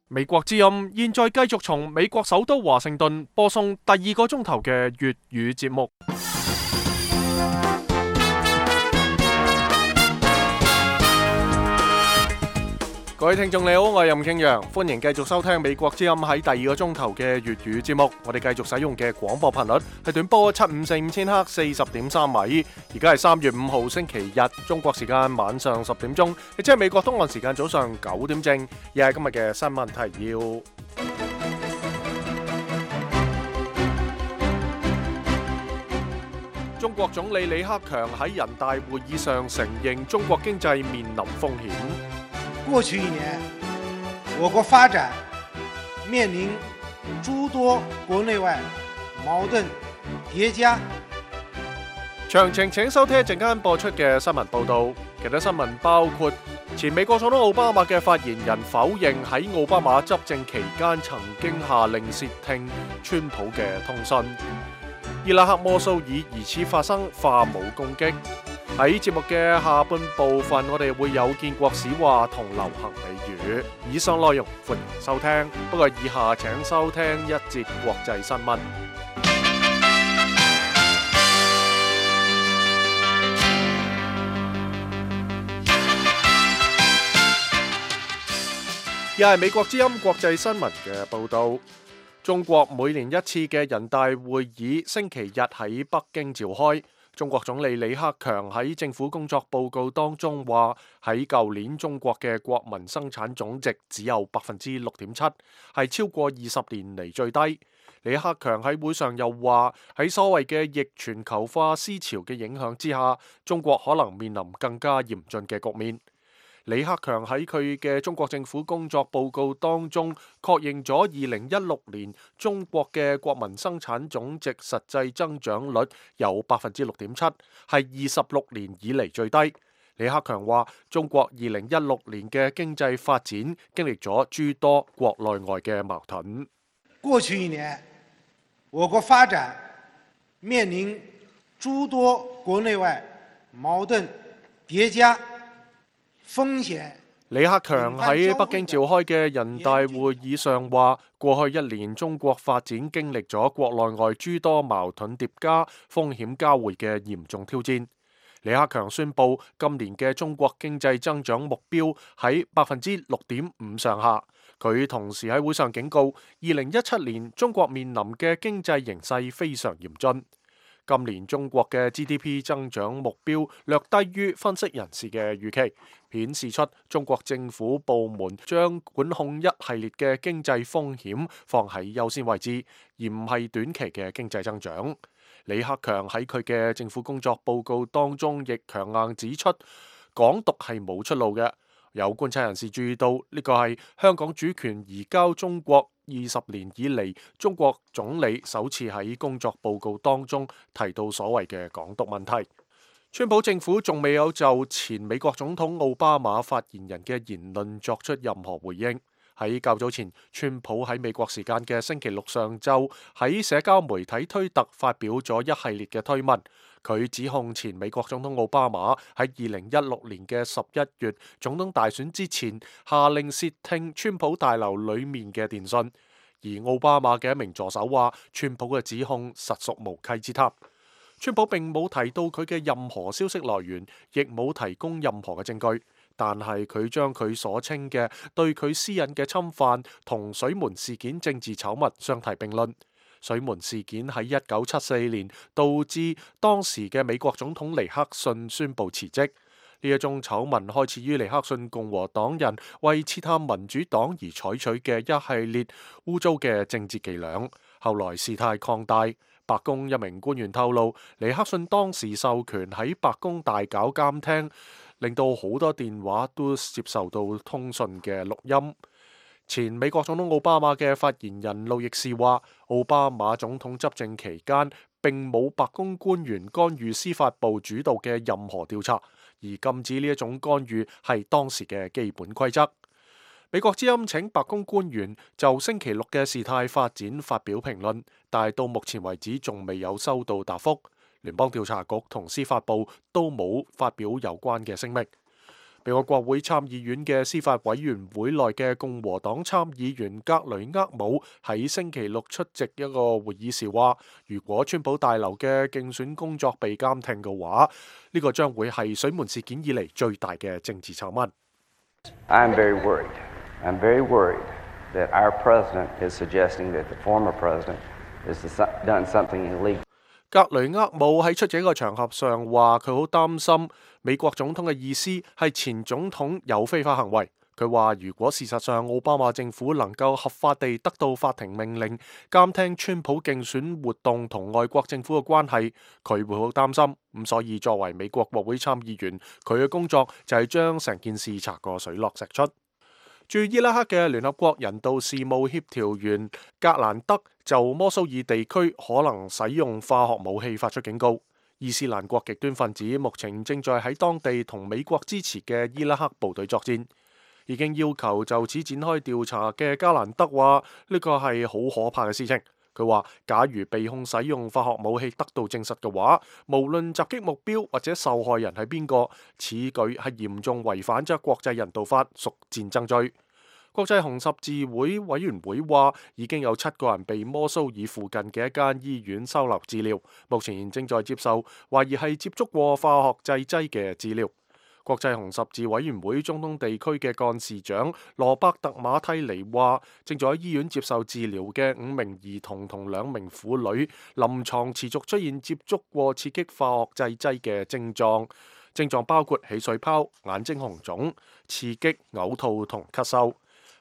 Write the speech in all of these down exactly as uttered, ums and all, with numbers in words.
美國之音現在繼續從美國首都華盛頓播送第二個鐘頭嘅粵語節目。各位聽眾你好，我係任慶陽，歡迎繼續收聽美國之音喺第二個鐘頭嘅粵語節目。我哋繼續使用嘅廣播頻率係短波七五四五千赫四十點三米。而家係三月五號星期日，中國時間晚上十點鐘，亦即係美國東岸時間早上九點正。亦係今日嘅新聞提要。中國總理李克強喺人大會議上承認中國經濟面臨風險。過去一年，我國發展面臨諸多國內外矛盾疊加。詳情請收聽一陣間播出嘅新聞報道。其他新聞包括前美國總統奧巴馬嘅發言人否認喺奧巴馬執政期間曾經下令竊聽川普嘅通訊。伊拉克摩蘇爾疑似發生化武攻擊。喺節目嘅下半部分，我哋會有建國史話同流行美語。以上內容歡迎收聽，不過以下請收聽一節國際新聞。又係美國之音國際新聞嘅報道。中國每年一次嘅人大會議星期日喺北京召開。中國總理李克強喺政府工作報告當中話，喺舊年中國嘅國民生產總值只有百分之六點七，係超過二十年嚟最低。李克強喺會上又話，喺所謂嘅逆全球化思潮嘅影響之下，中國可能面臨更加嚴峻嘅局面。李克強喺佢嘅中國政府工作報告當中確認咗二零一六年中國嘅國民生產總值實際增長率有百分之六點七，係二十六年以嚟最低。李克強話，中國二零一六年嘅經濟發展經歷咗諸多國內外嘅矛盾。過去一年，我國發展面臨諸多國內外矛盾疊加。風險。李克強喺北京召開嘅人大會議上話，過去一年中國發展經歷咗國內外諸多矛盾疊加、風險交匯嘅嚴重挑戰。李克強宣布今年嘅中國經濟增長目標喺百分之六點五上下。佢同時喺會上警告，二零一七年中國面臨嘅經濟形勢非常嚴峻。今年中國嘅 G D P 增長目標略低於分析人士嘅預期，顯示出中國政府部門將管控一系列嘅經濟風險放喺優先位置，而唔係短期嘅經濟增長。李克強喺佢嘅政府工作報告當中亦強硬指出，港獨係冇出路嘅。有觀察人士注意到，呢個係香港主權移交中國二十年以嚟，中國總理首次喺工作報告當中提到所謂嘅港獨問題。川普政府仲未有就前美國總統奧巴馬發言人嘅言論作出任何回應。喺較早前，川普喺美國時間嘅星期六上晝喺社交媒體推特發表咗一系列嘅推文。佢指控前美國總統奧巴馬喺二零一六年嘅十一月總統大選之前下令竊聽川普大樓裡面嘅電訊，而奧巴馬嘅一名助手話川普嘅指控實屬無稽之談。川普並冇提到佢嘅任何消息來源，亦冇提供任何嘅證據，但係佢將佢所稱嘅對佢私隱嘅侵犯同水門事件政治醜聞相提並論。水門事件喺一九七四年導致當時嘅美國總統尼克遜宣布辭職。呢一宗醜聞開始於尼克遜共和黨人為刺探民主黨而採取嘅一系列污糟嘅政治伎倆，後來事態擴大。白宮一名官員透露，尼克遜當時授權喺白宮大搞監聽，令到好多電話都接受到通訊嘅錄音。前美國總統奧巴馬嘅發言人路易士話，奧巴馬總統執政期間並冇白宮官員干預司法部主導嘅任何調查，而禁止呢一種干預係當時嘅基本規則。美國之音請白宮官員就星期六嘅事態發展發表評論，但係到目前為止仲未有收到答覆。聯邦調查局同司法部都冇發表有關嘅聲明。美國國會參議院嘅司法委員會內嘅共和黨參議員格雷厄姆喺星期六出席一個會議時話，如果川普大樓嘅競選工作被監聽嘅話，呢個將會係水門事件以嚟最大嘅政治醜聞。I'm very worried. I'm very worried that our president is suggesting that the former president has done something illegal. 格雷厄姆喺出席一個場合上話，佢好擔心美國總統嘅意思係前總統有非法行為。佢話如果事實上奧巴馬政府能夠合法地得到法庭命令監聽川普競選活動同外國政府嘅關係，佢會好擔心。咁所以作為美國國會參議員，佢嘅工作就係將成件事查個水落石出。駐伊拉克嘅聯合國人道事務協調員格蘭德就摩蘇爾地區可能使用化學武器發出警告。伊斯蘭國極端分子目前正在喺當地同美國支持嘅伊拉克部隊作戰。已經要求就此展開調查嘅格蘭德話，呢個係好可怕嘅事情。佢話假如被控使用化學武器得到證實嘅話，無論襲擊目標或者受害人係邊個，此舉係嚴重違反咗國際人道法，屬戰爭罪。國際紅十字會委員會話，已經有七個人被摩蘇爾附近嘅一間醫院收留治療，目前正在接受懷疑係接觸過化學製劑嘅治療。國際紅十字委員會中東地區嘅幹事長羅伯特馬蒂尼話，正在喺醫院接受治療嘅五名兒童同兩名婦女，臨床持續出現接觸過刺激化學製劑嘅症狀，症狀包括起水泡、眼睛紅腫、刺激、嘔吐同咳嗽。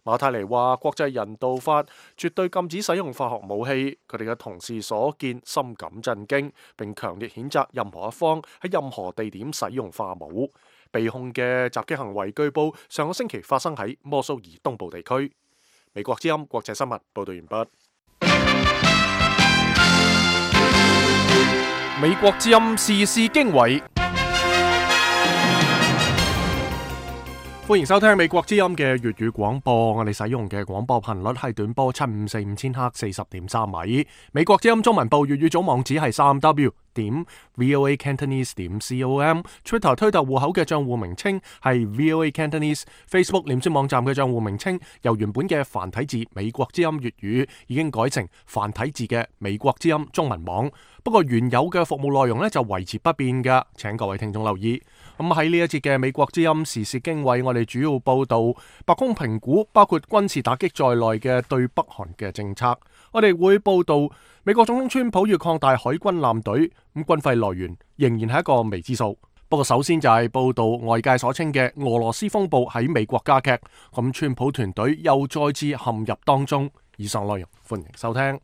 馬蒂尼話，國際人道法絕對禁止使用化學武器，佢哋嘅同事所見深感震驚，並強烈譴責任何一方喺任何地點使用化武。被控嘅襲擊行為據報上個星期發生喺摩蘇爾東部地區。美國之音國際新聞報道完畢。美國之音時事經緯，歡迎收聽美國之音嘅粵語廣播。我哋使用嘅廣播頻率係短波七五四五千赫四十點三米。美國之音中文部粵語總網址係三 W 點 VOA Cantonese 點 com，Twitter 推特戶口嘅賬戶名稱係 VOA Cantonese，Facebook 臉書網站嘅賬戶名稱由原本嘅繁體字美國之音粵語已經改成繁體字嘅美國之音中文網。不過原有嘅服務內容呢就維持不變嘅，請各位聽眾留意。咁喺呢一節嘅美國之音時事經緯，我哋主要報道白宮評估包括軍事打擊在內嘅對北韓嘅政策。我哋會報道美國總統川普要擴大海軍艦隊，咁軍費來源仍然係一個未知數。不過首先就係報道外界所稱嘅俄羅斯風暴喺美國加劇，咁川普團隊又再次陷入當中。以上內容歡迎收聽。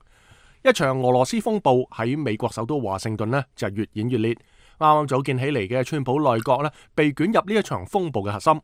一場俄羅斯風暴喺美國首都華盛頓呢就越演越烈。啱啱組建起嚟嘅川普內閣呢被捲入呢一場風暴嘅核心。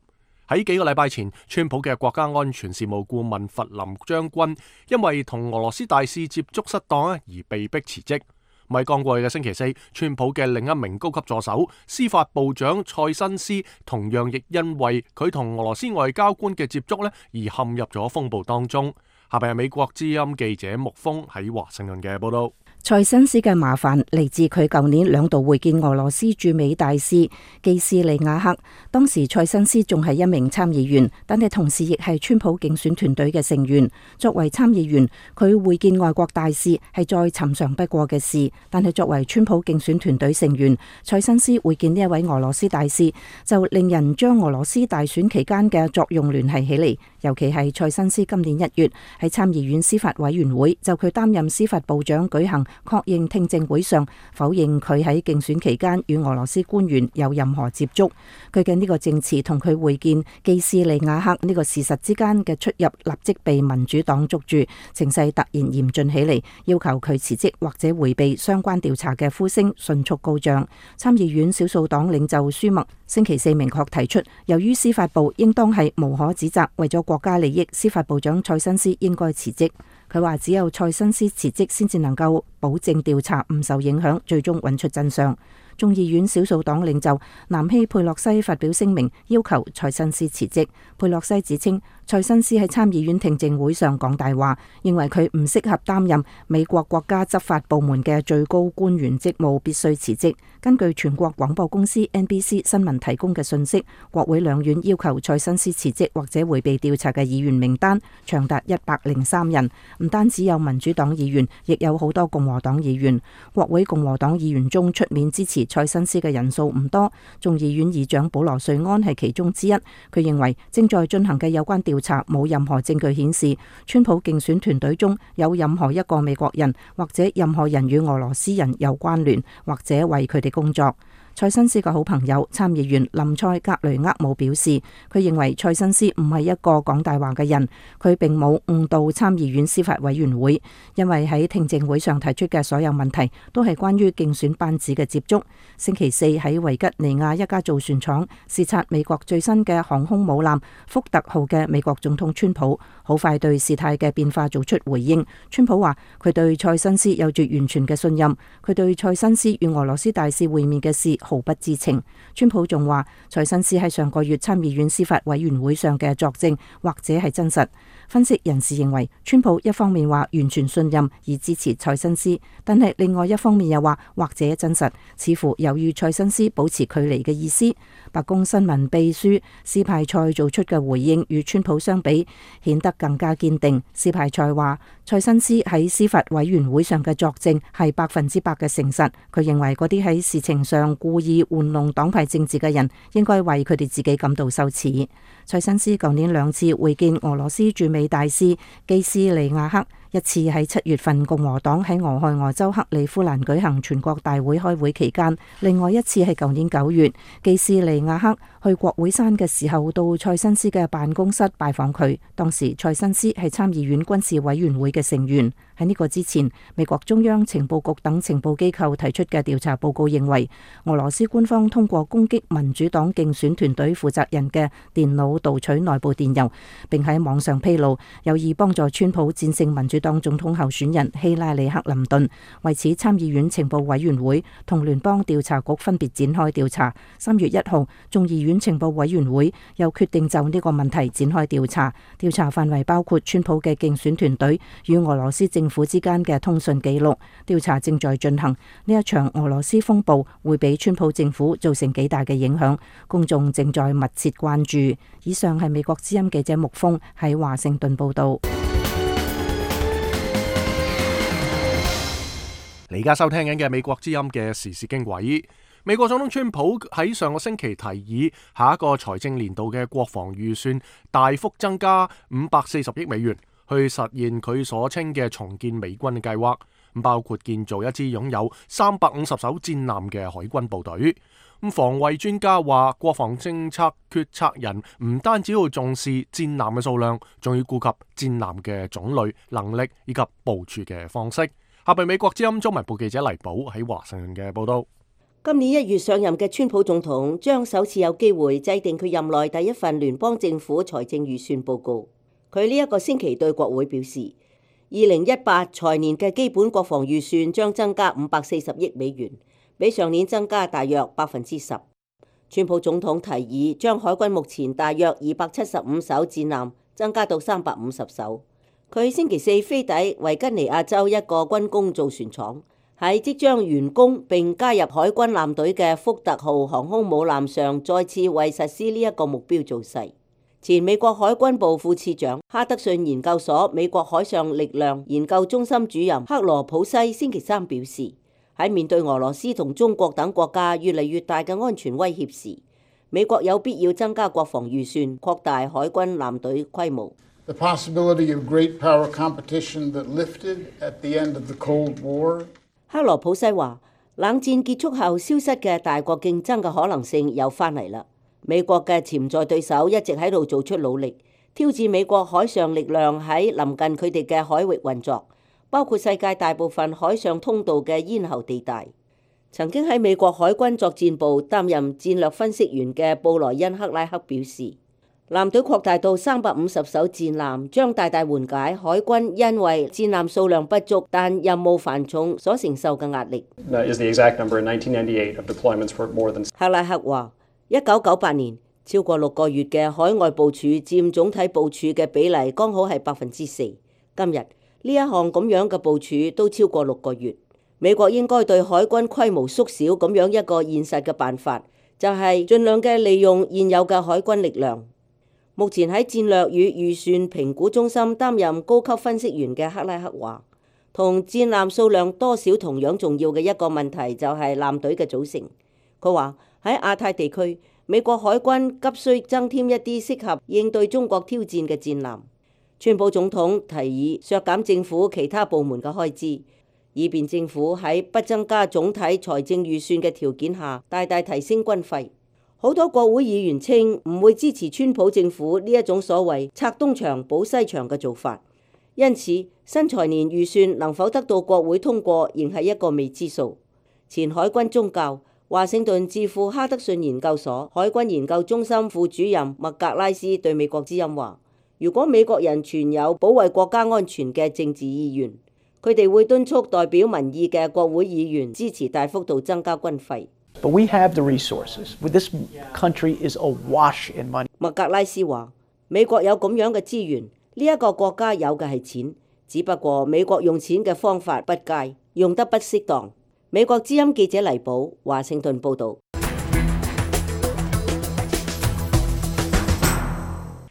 喺幾個禮拜前，川普嘅國家安全事務顧問弗林將軍因為同俄羅斯大使接觸失當而被迫辭職。咪剛過去嘅星期四，川普嘅另一名高級助手司法部長塞申斯同樣亦因為佢同俄羅斯外交官嘅接觸呢而陷入咗風暴當中。下邊係美國之音記者木峰喺華盛頓嘅報道。塞申斯嘅麻煩嚟自佢舊年兩度會見俄羅斯駐美大使基斯利亞克，當時塞申斯仲係一名參議員，但係同時亦係川普競選團隊嘅成員。作為參議員，佢會見外國大使係再尋常不過嘅事，但係作為川普競選團隊成員，塞申斯會見呢一位俄羅斯大使，就令人將俄羅斯大選期間嘅作用聯繫起嚟。尤其係塞申斯今年一月喺參議院司法委員會就佢擔任司法部長舉行確認聽證會上，否認佢喺競選期間與俄羅斯官員有任何接觸。佢嘅呢個證詞同佢會見基斯利亞克呢個事實之間嘅出入，立即被民主黨捉住，情勢突然嚴峻起嚟，要求佢辭職或者回避相關調查嘅呼聲迅速高漲。參議院少數黨領袖舒默星期四明確提出，由於司法部應當係無可指責，為咗國家利益，司法部長塞申斯應該辭職。佢話只有塞申斯辭職先至能夠保證調查唔受影響，最終揾出真相。眾議院少數黨領袖南希佩洛西發表聲明，要求塞申斯辭職。佩洛西指稱塞申斯喺參議院聽證會上講大話，認為佢唔適合擔任美國國家執法部門嘅最高官員職務，必須辭職。根據全國廣播公司 N B C 新聞提供嘅信息，國會兩院要求塞申斯辭職或者會被調查嘅議員名單長達一百零三人，唔單止有民主黨議員，亦有好多共和黨議員。國會共和黨議員中出面支持塞申斯嘅人數唔多，眾議院議長保羅瑞安係其中之一。佢認為正在進行嘅有關調查冇任何證據顯示川普競選團隊中有任何一個美國人或者任何人與俄羅斯人有關聯，或者為佢哋工作。塞申斯嘅好朋友參議員林塞格雷厄姆表示，佢認為塞申斯唔係一個講大話嘅人，佢並冇誤導參議院司法委員會，因為喺聽證會上提出嘅所有問題都係關於競選班子嘅接觸。星期四喺維吉尼亞一家造船廠視察美國最新嘅航空母艦福特號嘅美國總統川普，好快對事態嘅變化做出回應。川普話佢對塞申斯有住完全嘅信任，佢對塞申斯與俄羅斯大使會面嘅事毫不知情。川普仲話塞申斯喺上個月參議院司法委員會上嘅作證或者係真實。分析人士認為，川普一方面話完全信任而支持塞申斯，但係另外一方面又話或者真實，似乎有與塞申斯保持距離嘅意思。白宮新聞秘書斯派塞做出嘅回應與川普相比顯得更加堅定。斯派塞話塞申斯喺司法委員會上嘅作證係百分之百嘅誠實，佢認為嗰啲喺事情上故意玩弄黨派政治嘅人應該為佢哋自己感到羞恥。塞申斯舊年兩次會見俄羅斯駐美大使基斯利亞克，一次喺七月份共和黨喺俄亥俄州克里夫蘭舉行全國大會開會期間，另外一次係舊年九月，基斯利亞克去國會山嘅時候到塞申斯嘅辦公室拜訪佢，當時塞申斯係參議院軍事委員會嘅成員。喺呢個之前，美國中央情報局等情報機構提出嘅調查報告認為，俄羅斯官方通過攻擊民主黨競選團隊負責人嘅電腦盜取內部電郵，並喺網上披露，有意幫助川普戰勝民主黨總統候選人希拉里克林頓。為此，參議院情報委員會同聯邦調查局分別展開調查。三月一號，眾議院情報委員會又決定就呢個問題展開調查，調查範圍包括川普嘅競選團隊與俄羅斯政府之間嘅通訊記錄。調查正在進行，呢一場俄羅斯風暴會俾川普政府造成幾大嘅影響，公眾正在密切關注。以上係美國之音記者木峰喺華盛頓報道。你而家收聽緊嘅美國之音嘅時事經緯。美國總統川普喺上個星期提議下一個財政年度嘅國防預算大幅增加五百四十億美元，去實現佢所稱嘅重建美軍嘅計劃，包括建造一支擁有三百五十艘戰艦嘅海軍部隊。咁防衛專家話，國防政策決策人唔單止要重視戰艦嘅數量，仲要顧及戰艦嘅種類、能力以及部署嘅方式。下邊美國之音中文部記者黎寶喺華盛頓嘅報道。今年一月上任嘅川普總統將首次有機會制定佢任內第一份聯邦政府財政預算報告。佢呢一個星期對國會表示，二零一八財年嘅基本國防預算將增加五百四十億美元，比上年增加大約百分之十。川普總統提議將海軍目前大約二百七十五艘戰艦增加到三百五十艘。佢星期四飛抵維吉尼亞州一個軍工造船廠，喺即將完工並加入海軍艦隊嘅福特號航空母艦上，再次為實施呢一個目標造勢。前美國海軍部副次長、哈德遜研究所美國海上力量研究中心主任克羅普西星期三表示，喺面對俄羅斯同中國等國家越嚟越大嘅安全威脅時，美國有必要增加國防預算，擴大海軍艦隊規模。The possibility of great power competition that lifted at the end of the Cold War. 克羅普西話，冷戰結束後消失嘅大國競爭嘅可能性又翻嚟啦。美國嘅潛在對手一直喺度做出努力，挑戰美國海上力量喺臨近佢哋嘅海域運作，包括世界大部分海上通道嘅咽喉地帶。曾經喺美國海軍作戰部擔任戰略分析員嘅布萊恩克拉克表示，艦隊擴大到三百五十艘戰艦，將大大緩解海軍因為戰艦數量不足但任務繁重所承受嘅壓力。克拉克話：一九九八年超過六個月嘅海外部署佔總體部署嘅比例剛好係百分之四。今日呢一項咁樣嘅部署都超過六個月。美國應該對海軍規模縮小咁樣一個現實嘅辦法，就係盡量嘅利用現有嘅海軍力量。目前喺戰略與預算評估中心擔任高級分析員嘅克拉克話，同戰艦數量多少同樣重要嘅一個問題就係艦隊嘅組成。佢話喺亞太地區，美國海軍急需增添一啲適合應對中國挑戰嘅戰艦。川普總統提議削減政府其他部門嘅開支，以便政府喺不增加總體財政預算嘅條件下大大提升軍費。好多國會議員稱唔會支持川普政府呢一種所謂拆東牆補西牆嘅做法，因此新財年預算能否得到國會通過仍係一個未知數。前海軍宗教華盛頓智庫哈德遜研究所海軍研究中心副主任麥格拉斯對美國之音話：如果美國人存有保衛國家安全嘅政治意願，佢哋會敦促代表民意嘅國會議員支持大幅度增加軍費。But we have the resources. This country is awash in money. 麥格拉斯話：美國有咁樣嘅資源，呢一個國家有嘅係錢，只不過美國用錢嘅方法不佳，用得不適當。美國之音記者黎寶，華盛頓報導。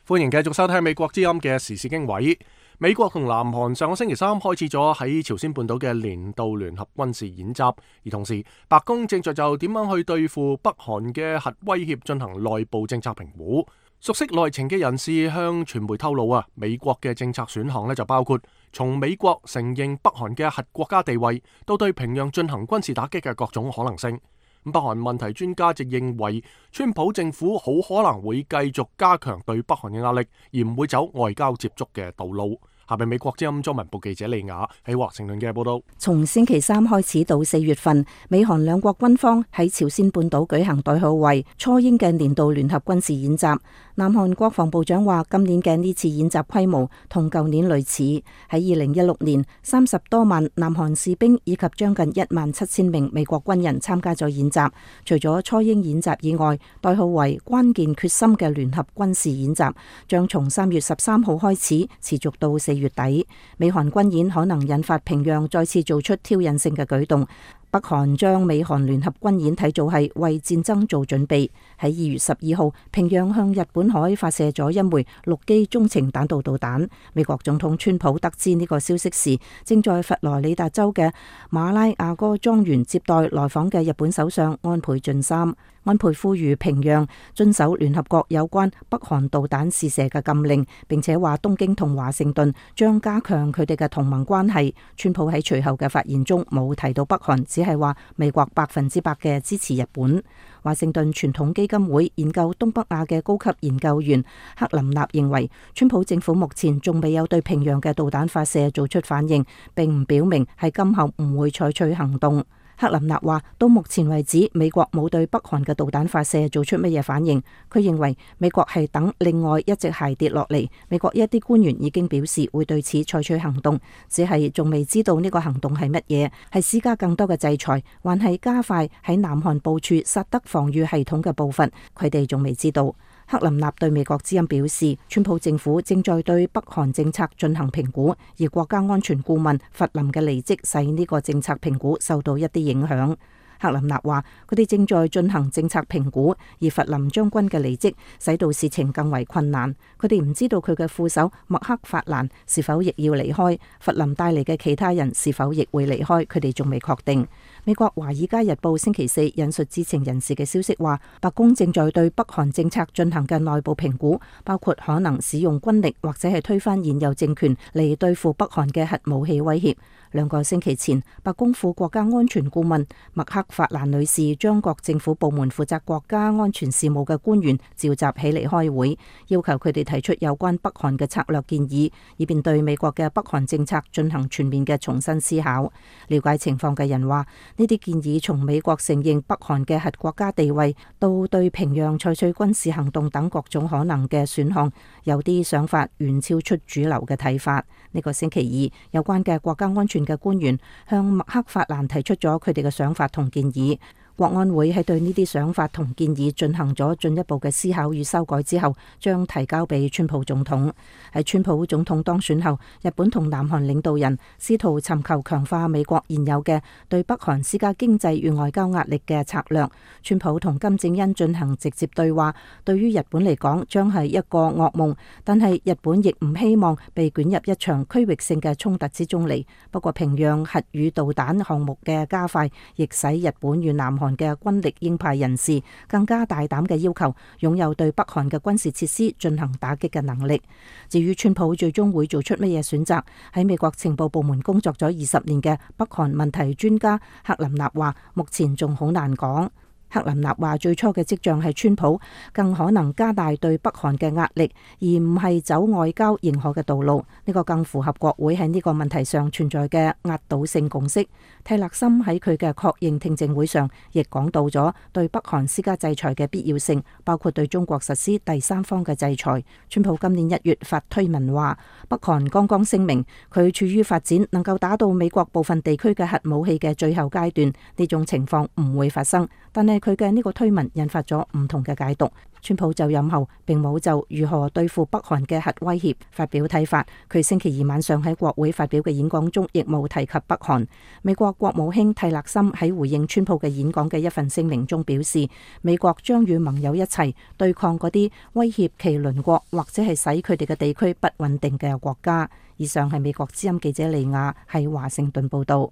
歡迎繼續收聽美國之音嘅時事經緯。美國同南韓上個星期三開始咗喺朝鮮半島嘅年度聯合軍事演習，而同時白宮正在就點樣去對付北韓嘅核威脅進行內部政策評估。熟悉內情嘅人士向傳媒透露啊，美國嘅政策選項呢就包括從美國承認北韓嘅核國家地位，到對平壤進行軍事打擊嘅各種可能性。北韓問題專家就認為，川普政府好可能會繼續加強對北韓嘅壓力，而唔會走外交接觸嘅道路。下邊美國之音中文部記者李雅喺華盛頓嘅報道。從星期三開始到四月份，美韓兩國軍方喺朝鮮半島舉行代號為初鷹嘅年度聯合軍事演習。南韓國防部長話，今年嘅呢次演習規模同舊年類似。喺二零一六年，三十多萬南韓士兵以及將近一萬七千名美國軍人參加咗演習。除咗初鷹演習以外，代號為關鍵決心嘅聯合軍事演習將從三月十三號開始，持續到四月底。美韓軍演可能引發平壤再次做出挑釁性嘅舉動。北韓將美韓聯合軍演睇做係為戰爭做準備。喺二月十二號，平壤向日本海發射咗一枚陸基中程彈道導彈。美國總統川普得知呢個消息時，正在佛羅里達州嘅馬拉亞哥莊園接待來訪嘅日本首相安倍晉三。安倍呼籲平壤遵守聯合國有關北韓導彈試射嘅禁令，並且話東京同華盛頓將加強佢哋嘅同盟關係。川普喺隨後嘅發言中冇提到北韓，只係話美國百分之百嘅支持日本。華盛頓傳統基金會研究東北亞嘅高級研究員克林納認為，川普政府目前仲未有對平壤嘅導彈發射做出反應，並唔表明係今後唔會採取行動。克林納話，到目前為止，美國冇對北韓嘅導彈發射做出乜嘢反應。佢認為美國係等另外一隻鞋跌落嚟。美國一啲官員已經表示會對此採取行動，只係仲未知道呢個行動係乜嘢，係施加更多嘅制裁，還係加快喺南韓部署薩德防禦系統嘅步伐，佢哋仲未知道。克林納對美國之音表示，川普政府正在對北韓政策進行評估，而國家安全顧問弗林嘅離職使呢個政策評估受到一啲影響。克林納話，佢哋正在進行政策評估，而弗林將軍嘅離職使到事情更為困難。佢哋唔知道佢嘅副手麥克法蘭是否亦要離開，弗林帶嚟嘅其他人是否亦會離開，佢哋仲未確定。美國華爾街日報星期四引述知情人士嘅消息話，白宮正在對北韓政策進行嘅內部評估，包括可能使用軍力或者係推翻現有政權嚟對付北韓嘅核武器威脅。兩個星期前，白宮副國家安全顧問麥克法蘭女士將各政府部門負責國家安全事務嘅官員召集起嚟開會，要求佢哋提出有關北韓嘅策略建議，以便對美國嘅北韓政策進行全面嘅重新思考。了解情況嘅人話，呢啲建議從美國承認北韓嘅核國家地位，到對平壤採取軍事行動等各種可能嘅選項，有啲想法遠超出主流嘅睇法。呢個星期二，有關嘅國家安全嘅官員向麥克法蘭提出咗佢哋嘅想法同建議。國安會喺對呢啲想法同建議進行咗進一步嘅思考與修改之後，將提交俾川普總統。喺川普總統當選後，日本同南韓領導人試圖尋求強化美國現有嘅對北韓施加經濟與外交壓力嘅策略。川普同金正恩進行直接對話，對於日本嚟講將係一個噩夢，但係日本亦唔希望被捲入一場區域性嘅衝突之中嚟。不過平壤核與導彈項目嘅加快，亦使日本與南韓嘅軍力鷹派人士更加大膽嘅要求擁有對北韓嘅軍事設施進行打擊嘅能力。至於川普最終會做出乜嘢選擇，喺美國情報部門工作咗二十年嘅北韓問題專家克林納話，目前仲好難講。克林納話最初嘅跡象係川普更可能加大對北韓嘅壓力，而唔係走外交認可嘅道路。呢個更符合國會喺呢個問題上存在嘅壓倒性共識。泰勒森喺佢嘅確認聽證會上亦講到咗對北韓施加制裁嘅必要性，包括對中國實施第三方嘅制裁。川普今年一月發推文話，北韓剛剛聲明佢處於發展能夠打到美國部分地區嘅核武器嘅最後階段，呢種情況唔會發生。但係佢嘅呢個推文引發咗唔同嘅解讀。川普就任後並冇就如何對付北韓嘅核威脅發表睇法。佢星期二晚上喺國會發表嘅演講中亦冇提及北韓。美國國務卿蒂勒森喺回應川普嘅演講嘅一份聲明中表示，美國將與盟友一齊對抗嗰啲威脅其鄰國或者係使佢哋嘅地區不穩定嘅國家。以上係美國之音記者利亞喺華盛頓報道。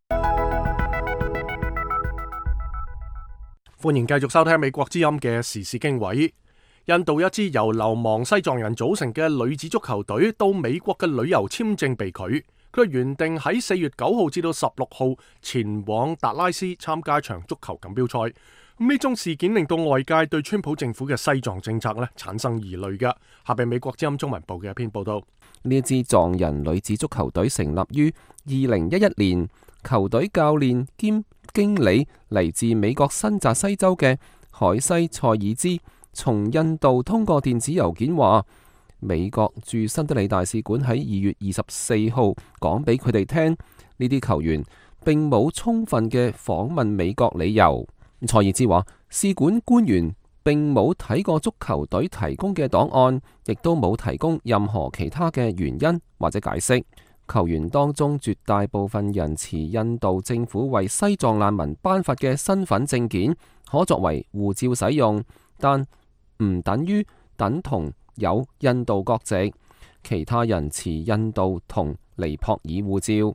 歡迎繼續收聽美國之音嘅時事經緯。印度一支由流亡西藏人組成嘅女子足球隊到美國嘅旅遊簽證被拒，佢原定喺四月九號至到十六號前往達拉斯參加一場足球錦標賽。咁呢宗事件令到外界對川普政府嘅西藏政策咧產生疑慮嘅。下邊美國之音中文部嘅一篇報道。呢一支藏人女子足球隊成立於二零一一年，球隊教練兼經理嚟自美國新澤西州嘅海西塞爾茲，從印度通過電子郵件話，美國駐新德里大使館喺二月二十四號講俾佢哋聽，呢啲球員並冇充分嘅訪問美國理由。塞爾茲話，使館官員並冇睇過足球隊提供嘅檔案，亦都冇提供任何其他嘅原因或者解釋。球員當中絕大部分人持印度政府為西藏難民頒發嘅身份證件，可作為護照使用，但唔等於等同有印度國籍。其他人持印度同尼泊爾護照。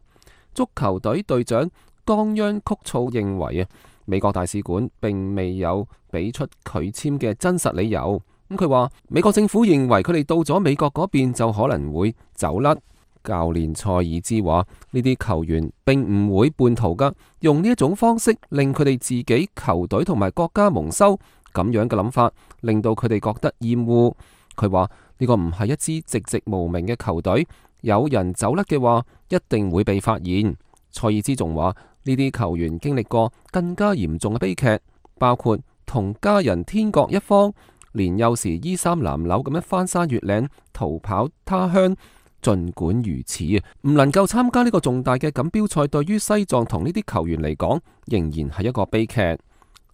足球隊隊長岡央曲措認為啊，美國大使館並未有俾出拒簽嘅真實理由。咁佢話美國政府認為佢哋到咗美國嗰邊就可能會走甩。教練塞爾茲話，呢啲球員並唔會叛逃噶，用呢一種方式令佢哋自己球隊同埋國家蒙羞，咁樣嘅諗法令到佢哋覺得厭惡。佢話呢個唔係一支籍籍無名嘅球隊，有人走甩嘅話一定會被發現。塞爾茲仲話呢啲球員經歷過更加嚴重嘅悲劇，包括同家人天各一方，年幼時衣衫襤褸咁樣翻山越嶺逃跑他鄉。盡管如此啊，唔能夠參加呢個重大嘅錦標賽，對於西藏同呢啲球員嚟講，仍然係一個悲劇。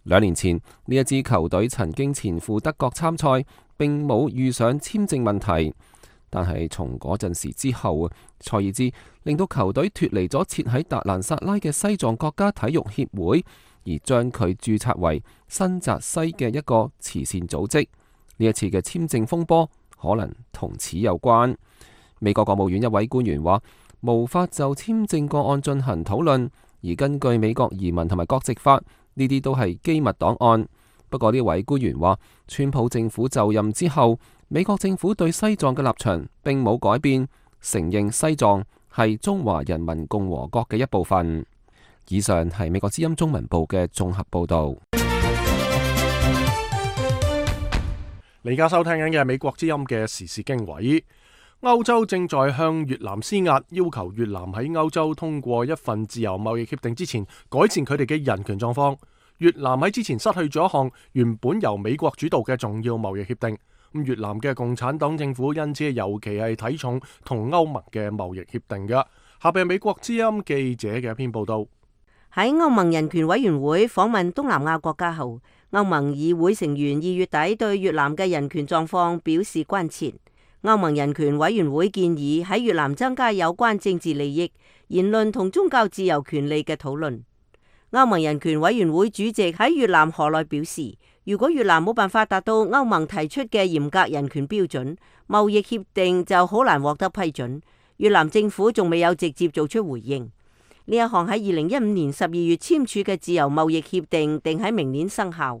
兩年前呢一支球隊曾經前赴德國參賽，並冇遇上簽證問題。但係從嗰陣時之後啊，塞爾茲令到球隊脫離咗設喺達蘭薩拉嘅西藏國家體育協會，而將佢註冊為新澤西嘅一個慈善組織。呢一次嘅簽證風波可能同此有關。美國國務院一位官員話，無法就簽證個案進行討論，而根據美國移民同埋國籍法，呢啲都係機密檔案。不過呢位官員話，川普政府就任之後，美國政府對西藏嘅立場並冇改變，承認西藏係中華人民共和國嘅一部分。以上係美國之音中文部嘅綜合報道。你而家收聽緊嘅係美國之音嘅時事經緯。歐洲正在向越南施壓，要求越南喺歐洲通過一份自由貿易協定之前，改善佢哋嘅人權狀況。越南喺之前失去咗一項原本由美國主導嘅重要貿易協定，咁越南嘅共產黨政府因此尤其係睇重同歐盟嘅貿易協定嘅。下邊係美國之音記者嘅一篇報道。喺歐盟人權委員會訪問東南亞國家後，歐盟議會成員二月底對越南嘅人權狀況表示關切。歐盟人權委員會建議喺越南增加有關政治利益、言論同宗教自由權利嘅討論。歐盟人權委員會主席喺越南河內表示，如果越南冇辦法達到歐盟提出嘅嚴格人權標準，貿易協定就好難獲得批准。越南政府仲未有直接做出回應。呢一項喺二零一五年十二月簽署嘅自由貿易協定定喺明年生效，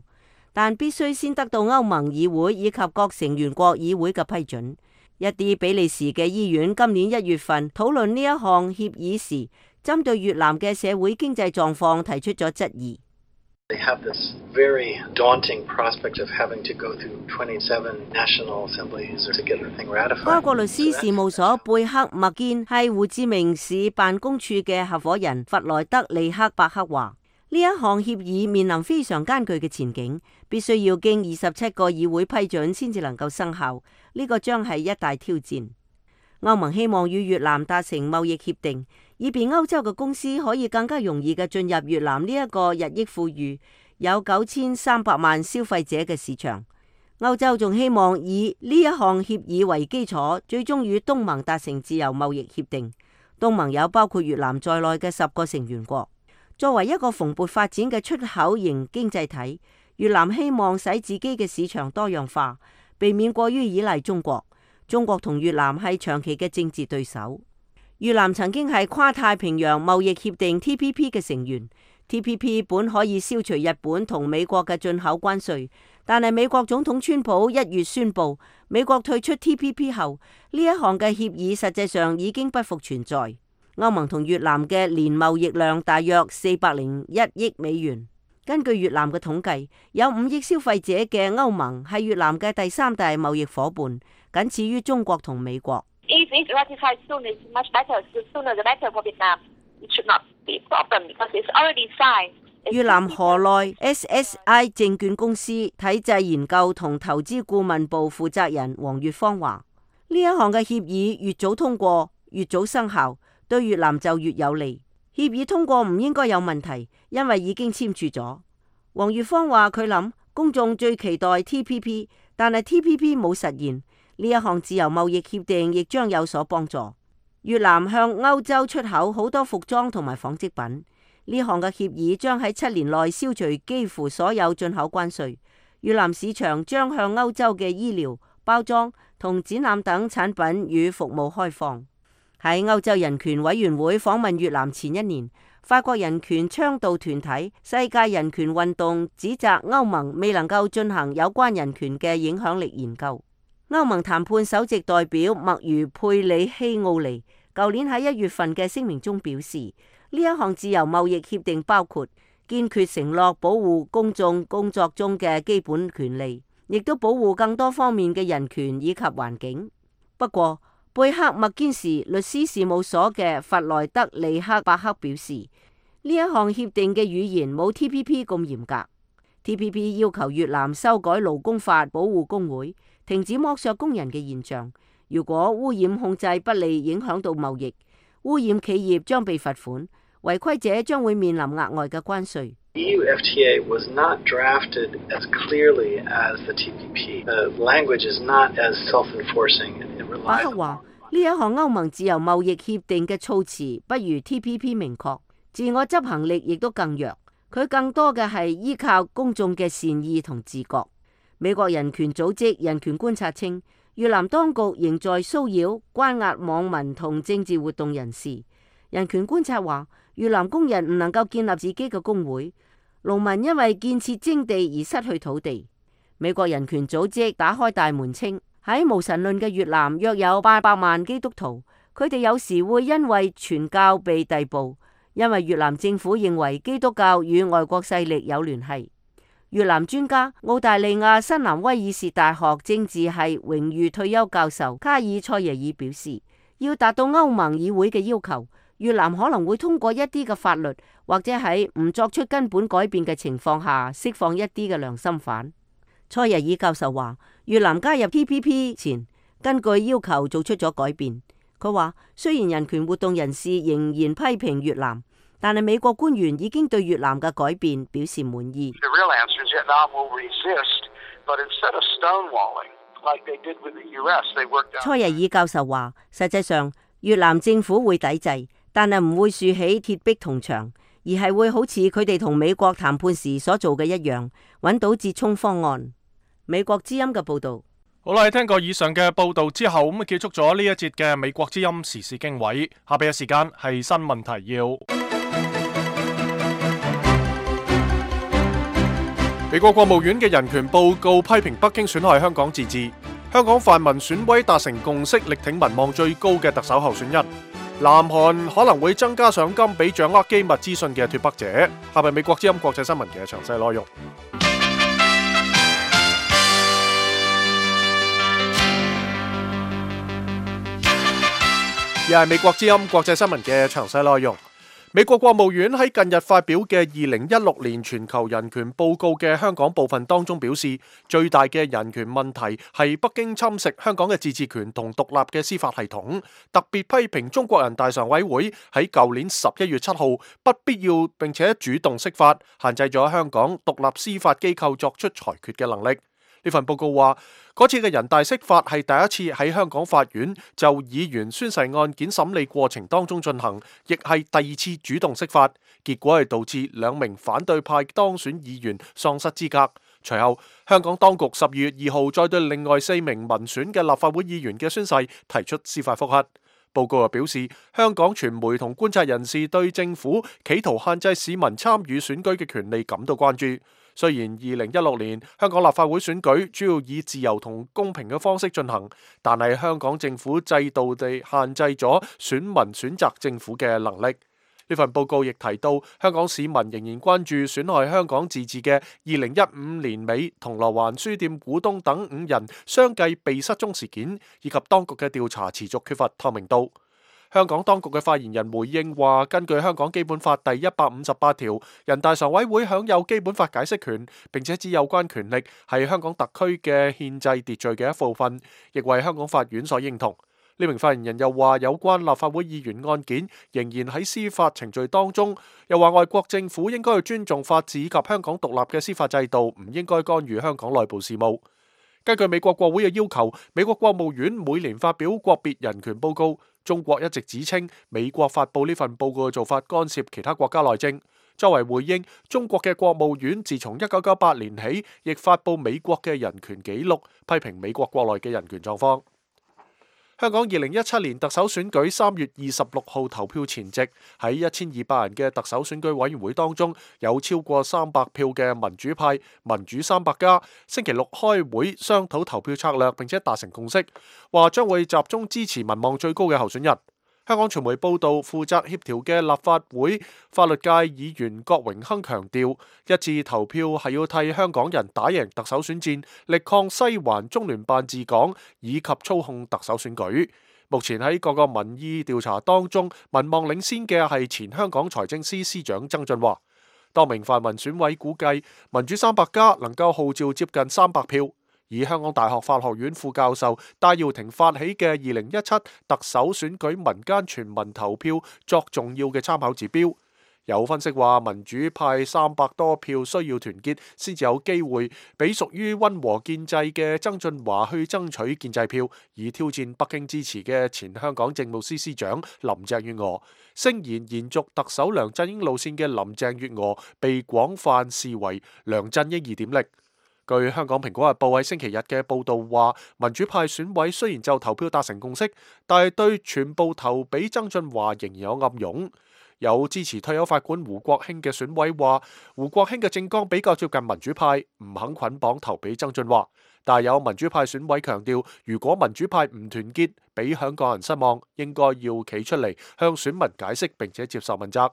但必須先得到歐盟議會以及各成員國議會嘅批准。一啲比利時嘅醫院今年一月份討論呢一項協議時，針對越南嘅社會經濟狀況提出咗質疑。They have this very daunting prospect of having to go through twenty-seven national assemblies to get the thing ratified. 該國律師事務所貝克麥堅係胡志明市辦公處嘅合夥人弗萊德利克伯克話：呢一項協議面臨非常艱巨嘅前景，必須要經二十七個議會批准先至能夠生效。呢個將係一大挑戰。歐盟希望與越南達成貿易協定，以便歐洲嘅公司可以更加容易嘅進入越南呢一個日益富裕、有九千三百萬消費者嘅市場。歐洲仲希望以呢一項協議為基礎，最終與東盟達成自由貿易協定。東盟有包括越南在內嘅十個成員國。作為一個蓬勃發展嘅出口型經濟體，越南希望使自己嘅市場多樣化，避免過於依賴中國。中國同越南係長期嘅政治對手。越南曾經係跨太平洋貿易協定 T P P 嘅成員。T P P 本可以消除日本同美國嘅進口關稅，但係美國總統川普一月宣布美國退出 T P P 後，呢一項嘅協議實際上已經不復存在。歐盟同越南嘅年貿易量大約四百零一億美元。根據越南嘅統計，有五億消費者嘅歐盟係越南嘅第三大貿易夥伴，僅次於中國同美國。If it's ratified soon, it's much better. The sooner the better for Vietnam. It should not be a problem because it's already signed. 越南河內 S S I 證券公司體制研究同投資顧問部負責人黃月芳話：呢一項嘅協議越早通過，越早生效，對越南就越有利。協議通過唔應該有問題，因為已經簽署咗。黃月芳話：佢諗公眾最期待 T P P， 但係 T P P 冇實現。呢一項自由貿易協定亦將有所幫助。越南向歐洲出口好多服裝同埋紡織品。呢項嘅協議將喺七年內消除幾乎所有進口關稅。越南市場將向歐洲嘅醫療、包裝同展覽等產品與服務開放。喺歐洲人權委員會訪問越南前一年，法國人權倡導團體世界人權運動指責歐盟未能夠進行有關人權嘅影響力研究。歐盟談判首席代表麥如佩里希奧尼舊年喺一月份嘅聲明中表示，呢一項自由貿易協定包括堅決承諾保護公眾工作中嘅基本權利，亦都保護更多方面嘅人權以及環境。不過，貝克麥堅士律師事務所嘅弗萊德利克伯克表示，呢一項協定嘅語言冇 T P P 咁嚴格。T P P 要求越南修改勞工法，保護工會，停止剝削工人嘅現象。如果污染控制不利，影響到貿易，污染企業將被罰款，違規者將會面臨額外嘅關稅。E U F T A was not drafted as clearly as the T P P. The language is not as self-enforcing and it relies on. 伯克話：呢一項歐盟自由貿易協定嘅措辭不如 T P P 明確，自我執行力亦都更弱。佢更多嘅係依靠公眾嘅善意同自覺。美國人權組織人權觀察稱，越南當局仍在騷擾、關押網民同政治活動人士。人權觀察話，越南工人唔能夠建立自己嘅工會，農民因為建設徵地而失去土地。美國人權組織打開大門稱，喺無神論嘅越南約有八百萬基督徒，佢哋有時會因為傳教被逮捕，因為越南政府認為基督教與外國勢力有聯繫。越南專家、澳大利亞新南威爾士大學政治系榮譽退休教授卡爾塞耶爾表示，要達到歐盟議會嘅要求，越南可能會通過一啲嘅法律，或者喺唔作出根本改變嘅情況下釋放一啲嘅良心犯。塞耶爾教授話，越南加入 T P P 前，根據要求做出咗改變。佢話，雖然人權活動人士仍然批評越南，但係美國官員已經對越南嘅改變表示滿意。塞耶爾教授話，實際上越南政府會抵制，但係唔會豎起鐵壁銅牆，而係會好似佢哋同美國談判時所做嘅一樣，揾到折衷方案。美國之音嘅報道。好啦，聽過以上嘅報道之後，咁啊結束咗呢一節嘅美國之音時事經緯。下邊嘅時間係新聞提要。美國國務院嘅人權報告批評北京損害香港自治。香港泛民選委達成共識，力挺民望最高嘅特首候選人。南韓可能會增加賞金俾掌握機密資訊嘅脫北者。下邊美國之音國際新聞嘅詳細內容。而係美國之音國際新聞嘅詳細內容。美國國務院喺近日發表嘅二零一六年全球人權報告嘅香港部分當中表示，最大嘅人權問題係北京侵蝕香港嘅自治權同獨立嘅司法系統，特別批評中國人大常委會喺舊年十一月七號不必要並且主動釋法，限制咗香港獨立司法機構作出裁決嘅能力。呢份報告話，嗰次嘅人大釋法係第一次喺香港法院就議員宣誓案件審理過程當中進行，亦係第二次主動釋法，結果係導致兩名反對派當選議員喪失資格。隨後，香港當局十二月二號再對另外四名民選嘅立法會議員嘅宣誓提出司法覆核。報告又表示，香港傳媒同觀察人士對政府企圖限制市民參與選舉嘅權利感到關注。雖然二零一六年香港立法會選舉主要以自由同公平嘅方式進行，但係香港政府制度地限制咗選民選擇政府嘅能力。呢份報告亦提到，香港市民仍然關注損害香港自治嘅二零一五年尾銅鑼灣書店股東等五人相繼被失蹤事件，以及當局嘅調查持續缺乏透明度。香港當局嘅發言人回應話，根據香港基本法第一百五十八條，人大常委會享有基本法解釋權，並且指有關權力係香港特區嘅憲制秩序嘅一部分，亦為香港法院所認同。呢名發言人又話，有關立法會議員案件仍然喺司法程序當中，又話外國政府應該去尊重法治以及香港獨立嘅司法制度，唔應該干預香港內部事務。根據美國國會嘅要求，美國國務院每年發表國別人權報告。中國一直指稱美國發佈呢份報告嘅做法干涉其他國家內政。作為回應，中國嘅國務院自從一九九八年起，亦發佈美國嘅人權紀錄，批評美國國內嘅人權狀況。香港二零一七年特首選舉三月二十六號投票前夕，喺一千二百人嘅特首選舉委員會當中，有超過三百票嘅民主派民主三百家星期六開會商討投票策略，並且達成共識，話將會集中支持民望最高嘅候選人。香港傳媒報道，負責協調嘅立法會法律界議員郭榮鏗強調，一致投票係要替香港人打贏特首選戰，力抗西環中聯辦治港以及操控特首選舉。目前喺各個民意調查當中，民望領先嘅係前香港財政司司長曾俊華。多名泛民選委估計，民主三百家能夠號召接近三百票。以香港大學法學院副教授戴耀廷發起嘅二零一七特首選舉民間全民投票作重要嘅參考指標。有分析話，民主派三百多票需要團結先至有機會俾屬於溫和建制嘅曾俊華去爭取建制票，以挑戰北京支持嘅前香港政務司司長林鄭月娥。聲言延續特首梁振英路線嘅林鄭月娥被廣泛視為梁振英二點零。據香港蘋果日報喺星期日嘅報導話，民主派選委雖然就投票達成共識，但係對全部投俾曾俊華仍然有暗湧。有支持退休法官胡國興嘅選委話，胡國興嘅政綱比較接近民主派，唔肯捆綁投俾曾俊華。但係有民主派選委強調，如果民主派唔團結，俾香港人失望，應該要企出嚟向選民解釋並且接受問責。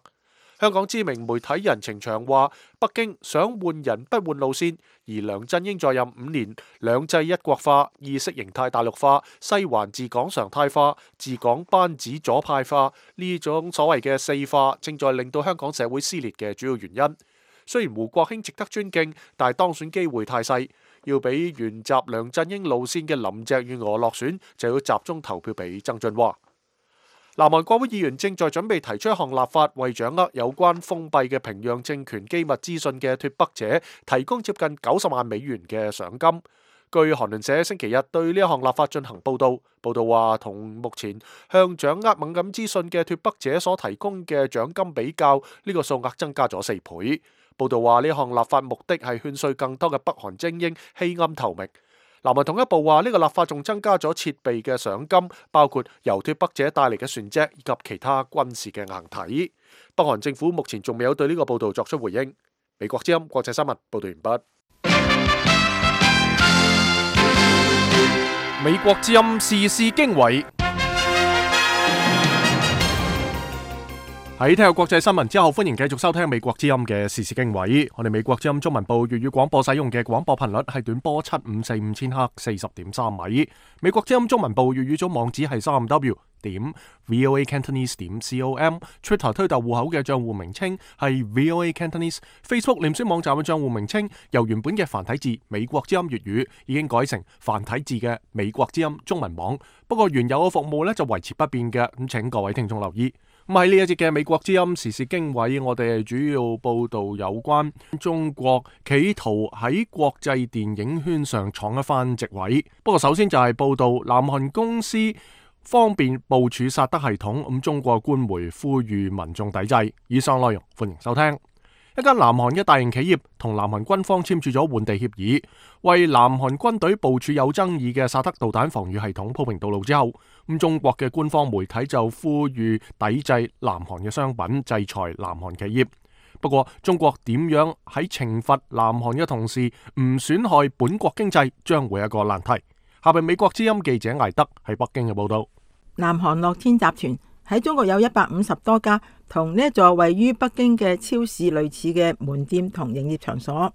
香港知名媒體人程翔話，北京想換人不換路線，而梁振英在任五年，兩制一國化、意識形態大陸化、西環治港常態化、治港班子左派化呢種所謂嘅四化，正在令到香港社會撕裂嘅主要原因。雖然胡國興值得尊敬，但係當選機會太細，要俾沿襲梁振英路線嘅林鄭月娥落選，就要集中投票俾曾俊華。南韓國會議員正在準備提出一項立法，為掌握有關封閉嘅平壤政權機密資訊嘅脫北者提供接近九十萬美元嘅賞金。據韓聯社星期日對呢一項立法進行報導，報導話同目前向掌握敏感資訊嘅脫北者所提供嘅獎金比較，呢個數額增加咗四倍。報導話呢項立法目的係勸說更多嘅北韓精英棄暗投明。南韓統一部話呢個立法仲增加咗設備嘅賞金，包括由脫北者帶嚟嘅船隻以及其他軍事嘅硬體。北韓政府目前仲未有對呢個報導作出回應。美國之音國際新聞報導完畢。美國之音時事經緯。喺聽下國際新聞之後，歡迎繼續收聽美國之音嘅時事經緯。我哋美國之音中文部粵語廣播使用嘅廣播頻率係短波七五四五千赫四十點三米。美國之音中文部粵語組網址係三 w 點 voa cantonese 點 com。Twitter 推特戶口嘅賬戶名稱係 voa cantonese。Facebook 臉書網站嘅賬戶名稱由原本嘅繁體字美國之音粵語已經改成繁體字嘅美國之音中文網。不過原有嘅服務呢就維持不變嘅，咁請各位聽眾留意。咁喺呢一節嘅美國之音時事經緯，我哋主要報道有關中國企圖喺國際電影圈上闖一番席位。不過首先就係報道南韓公司方便部署薩德系統，咁中國官媒呼籲民眾抵制。以上內容歡迎收聽。一間南韓嘅大型企業同南韓軍方簽署咗換地協議，為南韓軍隊部署有爭議嘅薩德導彈防禦系統鋪平道路之後，咁中國嘅官方媒體就呼籲抵制南韓嘅商品，制裁南韓企業。不過中國點樣喺懲罰南韓嘅同時唔損害本國經濟，將會係一個難題。下邊美國之音記者艾德喺北京嘅報道。南韓樂天集團喺中國有一百五十多家同呢一座位於北京嘅超市類似嘅門店同營業場所，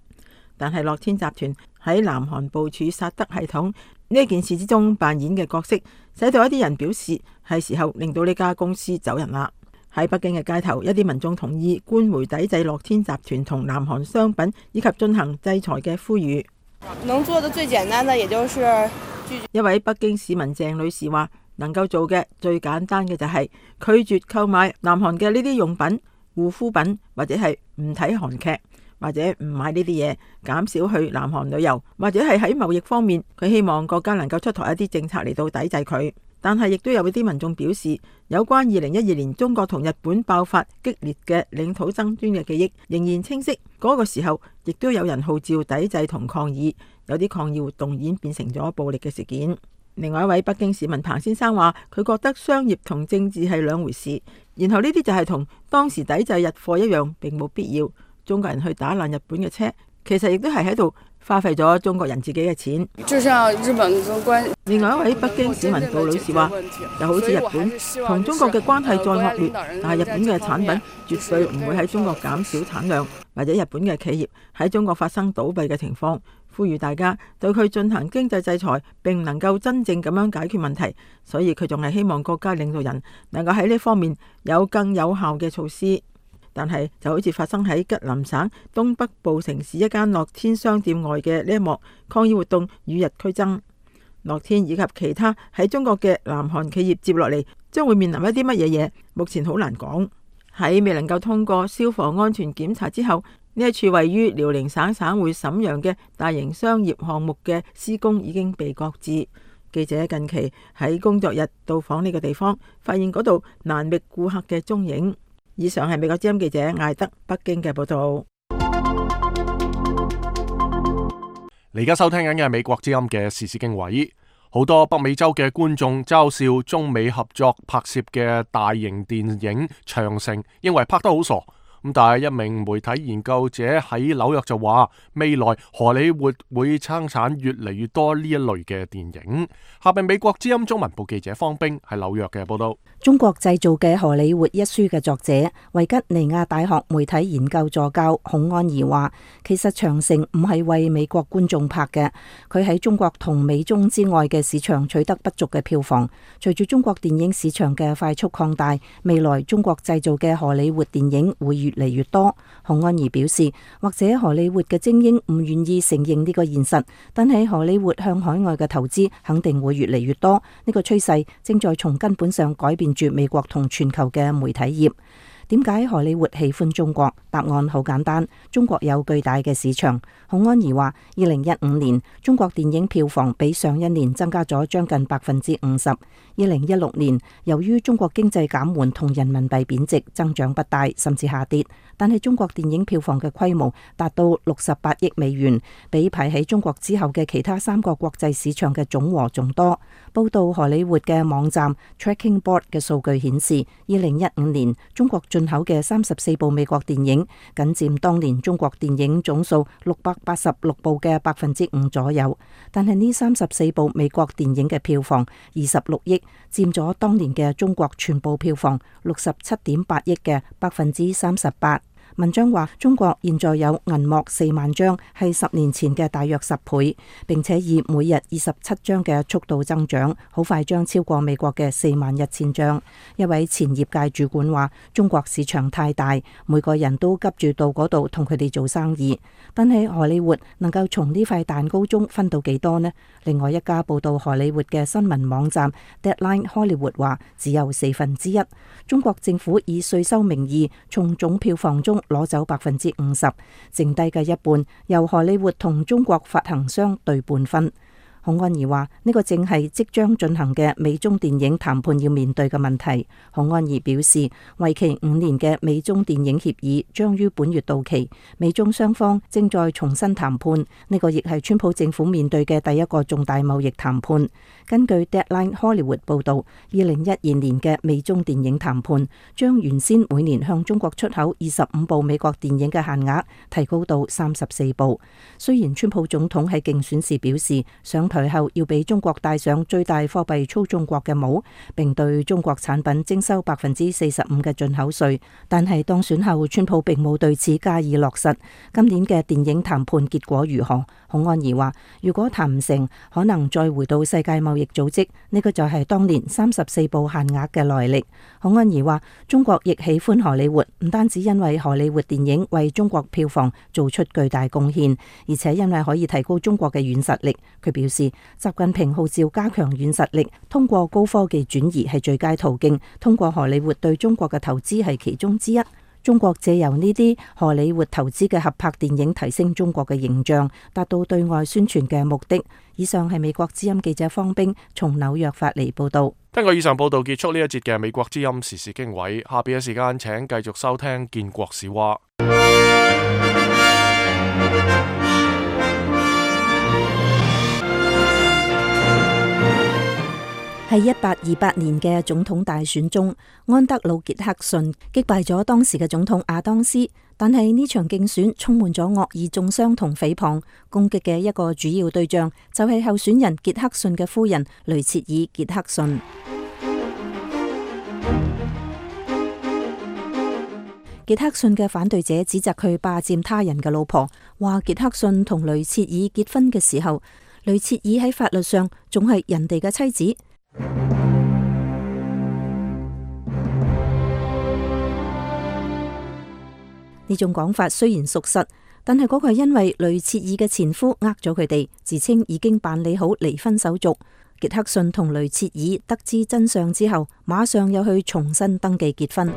但係樂天集團喺南韓部署薩德系統呢件事之中扮演嘅角色，使到一啲人表示係時候令到呢家公司走人啦。喺北京嘅街頭，一啲民眾同意官媒抵制樂天集團同南韓商品以及進行制裁嘅呼籲。能做的最簡單的，也就是一位北京市民鄭女士話，能夠做嘅最簡單嘅就係拒絕購買南韓嘅呢啲用品、護膚品，或者係唔睇韓劇，或者唔買呢啲嘢，減少去南韓旅遊，或者係喺貿易方面，佢希望國家能夠出台一啲政策嚟到抵制佢。但係亦都有啲民眾表示，有關二零一二年中國同日本爆發激烈嘅領土爭端嘅記憶仍然清晰。嗰個時候亦都有人號召抵制同抗議，有啲抗議活動演變成咗暴力嘅事件。另外一位北京市民彭先生話，佢覺得商業同政治係兩回事，然後呢啲就係同當時抵制日貨一樣，並冇必要。中國人去打爛日本嘅車，其實亦都係喺度花費咗中國人自己嘅錢。就像日本嘅關係。另外一位北京市民杜女士話，就好似日本同中國嘅關係再惡劣，但係日本嘅產品絕對唔會喺中國減少產量，或者日本嘅企業喺中國發生倒閉嘅情況。呼籲大家對佢進行經濟制裁，並唔能夠真正咁樣解決問題，所以佢仲係希望國家領導人能夠喺呢方面有更有效嘅措施。但係就好似發生喺吉林省東北部城市一間樂天商店外嘅呢一幕抗議活動與日俱增。樂天以及其他喺中國嘅南韓企業接落嚟將會面臨一啲乜嘢嘢，目前好難講。喺未能夠通過消防安全檢查之後，呢一處位於遼寧省省會瀋陽嘅大型商業項目嘅施工已經被擱置。記者近期喺工作日到訪呢個地方，發現嗰度難覓顧客嘅蹤影。以上係美國之音記者艾德北京嘅報道。你而家收聽緊嘅係美國之音嘅時事經緯。好多北美洲嘅觀眾嘲笑中美合作拍攝嘅大型電影《長城》，認為拍得好傻。咁但係一名媒體研究者喺紐約就話，未來荷里活會生產越嚟越多呢一類嘅電影。下邊美國之音中文部記者方冰喺紐約嘅報道。中國製造嘅荷里活一書嘅作者維吉尼亞大學媒體研究助教孔安儀話，其實長城唔係為美國觀眾拍嘅，佢喺中國同美中之外嘅市場取得不俗嘅票房。隨住中國電影市場嘅快速擴大，未來中國製造嘅荷里活電影會越嚟越多。孔安儀表示，或者荷里活嘅精英唔願意承認呢個現實，但係荷里活向海外嘅投資肯定會越嚟越多。呢個趨勢正在從根本上改變住美國同全球嘅媒體業。點解荷里活喜歡中國？答案好簡單，中國有巨大嘅市場。孔安儀話，二零一五年中國電影票房比上一年增加咗將近百分之五十。二零一六年由於中國經濟減緩同人民幣貶值，增長不大，甚至下跌。但係中國電影票房嘅規模達到六十八億美元，比排喺中國之後嘅其他三個國際市場嘅總和仲多。報道荷里活嘅網站 Tracking Board 嘅數據顯示，二零一五年中國進口嘅三十四部美國電影，僅佔當年中國電影總數六百八十六部嘅百分之五左右。但係呢三十四部美國電影嘅票房二十六億，佔咗當年嘅中國全部票房六十七點八億嘅百分之三十八。文章話，中國現在有銀幕四萬張，係十年前嘅大約十倍，並且以每日二十七張嘅速度增長，好快將超過美國嘅四萬一千張。一位前業界主管話，中國市場太大，每個人都急住到嗰度同佢哋做生意。但係荷里活能夠從呢塊蛋糕中分到幾多呢？另外一家報道荷里活嘅新聞網站 Deadline Hollywood 話，只有四分之一。中國政府以稅收名義從總票房中攞走百分之五十，剩低嘅一半由荷里活同中國發行商對半分。孔安儀話，呢個正係即將進行嘅美中電影談判要面對嘅問題。孔安儀表示，為期五年嘅美中電影協議將於本月到期，美中雙方正在重新談判。呢個亦係川普政府面對嘅第一個重大貿易談判。根據 Deadline Hollywood 報道，二零一二年嘅美中電影談判將原先每年向中國出口二十五部美國電影嘅限額提高到三十四部。雖然川普總統喺競選時表示上台後要俾中國戴上最大貨幣操縱國嘅帽，並對中國產品徵收百分之四十五嘅進口稅，但係當選後，川普並冇對此加以落實。今年嘅電影談判結果如何？孔安儀話，如果談唔成，可能再回到世界貿易組織，呢個就係當年三十四部限額嘅來歷。孔安儀話，中國亦喜歡荷里活，唔單止因為荷里活電影為中國票房做出巨大貢獻，而且因為可以提高中國嘅軟實力。佢表示，習近平號召加強軟實力，通過高科技轉移係最佳途徑，通過荷里活對中國嘅投資係其中之一。中國借由呢啲荷里活投資嘅合拍電影，提升中國嘅形象，達到對外宣傳嘅目的。以上係美國之音記者方冰從紐約發嚟報道。聽過以上報道，結束呢一節嘅美國之音時事經緯。下邊嘅時間，請繼續收聽建國史話。喺一八二八年嘅總統大選中，安德魯傑克遜擊敗咗當時嘅總統亞當斯，但係呢場競選充滿咗惡意中傷同誹謗，攻擊嘅一個主要對象就係候選人傑克遜嘅夫人雷切爾傑克遜。傑克遜嘅反對者指責佢霸佔他人嘅老婆，話傑克遜同雷切爾結婚嘅時候，雷切爾喺法律上仲係人哋嘅妻子。呢種講法雖然屬實，但係嗰個係因為雷切爾嘅前夫呃咗佢哋，自稱已經辦理好離婚手續。傑克遜同雷切爾得知真相之後，馬上又去重新登記結婚。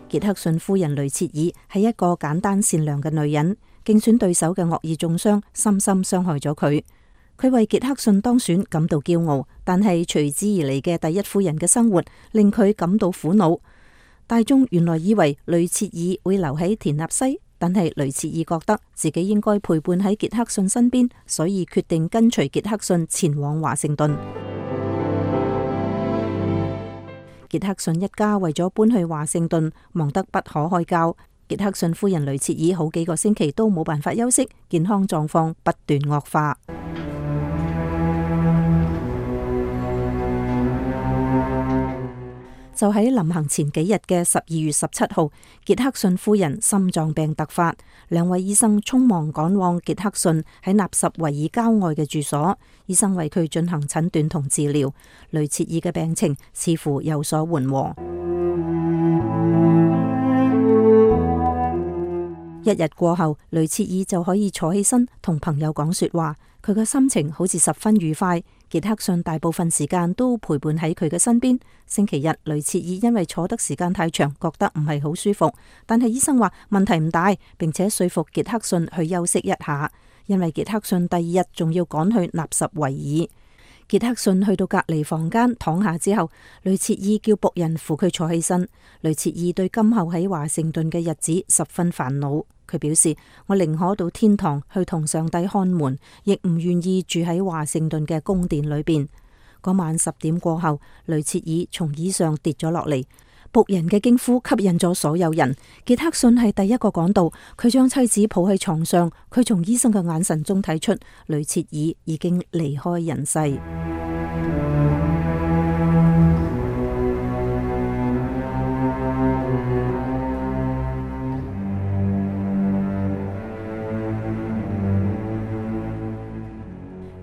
傑克遜夫人雷切爾係一個簡單善良嘅女人，競選對手嘅惡意中傷深深傷害咗佢。佢為傑克遜當選感到驕傲，但係隨之而嚟嘅第一夫人嘅生活令佢感到苦惱。大眾原來以為雷切爾會留喺田納西，但係雷切爾覺得自己應該陪伴喺傑克遜身邊，所以決定跟隨傑克遜前往華盛頓。傑克遜一家為咗搬去華盛頓，忙得不可開交。傑克遜夫人雷切爾好幾個星期都冇辦法休息，健康狀況不斷惡化。就喺臨行前幾日嘅十二月十七號，傑克遜夫人心臟病突發，兩位醫生匆忙趕往傑克遜喺納什維爾郊外嘅住所，醫生為佢進行診斷同治療。雷切爾嘅病情似乎有所緩和。一日過後，雷切爾就可以坐起身同朋友講說話，佢嘅心情好似十分愉快。傑克遜大部分時間都陪伴喺佢嘅身邊。星期日，雷切爾因為坐得時間太長，覺得唔係好舒服，但係醫生話問題唔大，並且說服傑克遜去休息一下，因為傑克遜第二日仲要趕去納什維爾。傑克遜去到隔離房間躺下之後，雷切爾叫僕人扶佢坐起身。雷切爾對今後喺華盛頓嘅日子十分煩惱。佢表示：我寧可到天堂去同上帝看門，亦唔願意住喺華盛頓嘅宮殿裏邊。嗰晚十點過後，雷切爾從椅上跌咗落嚟，僕人嘅驚呼吸引咗所有人。傑克遜係第一個趕到，佢將妻子抱喺床上。佢從醫生嘅眼神中睇出雷切爾已經離開人世。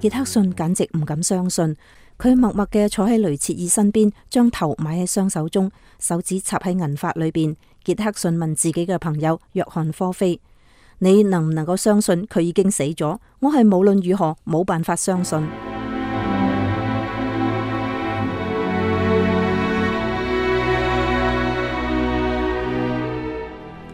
傑克遜簡直唔敢相信，佢默默嘅坐喺雷切爾身邊，將頭埋喺雙手中，手指插喺銀髮裏邊。傑克遜問自己嘅朋友約翰科菲：你能唔能夠相信佢已經死咗？我係無論如何冇辦法相信。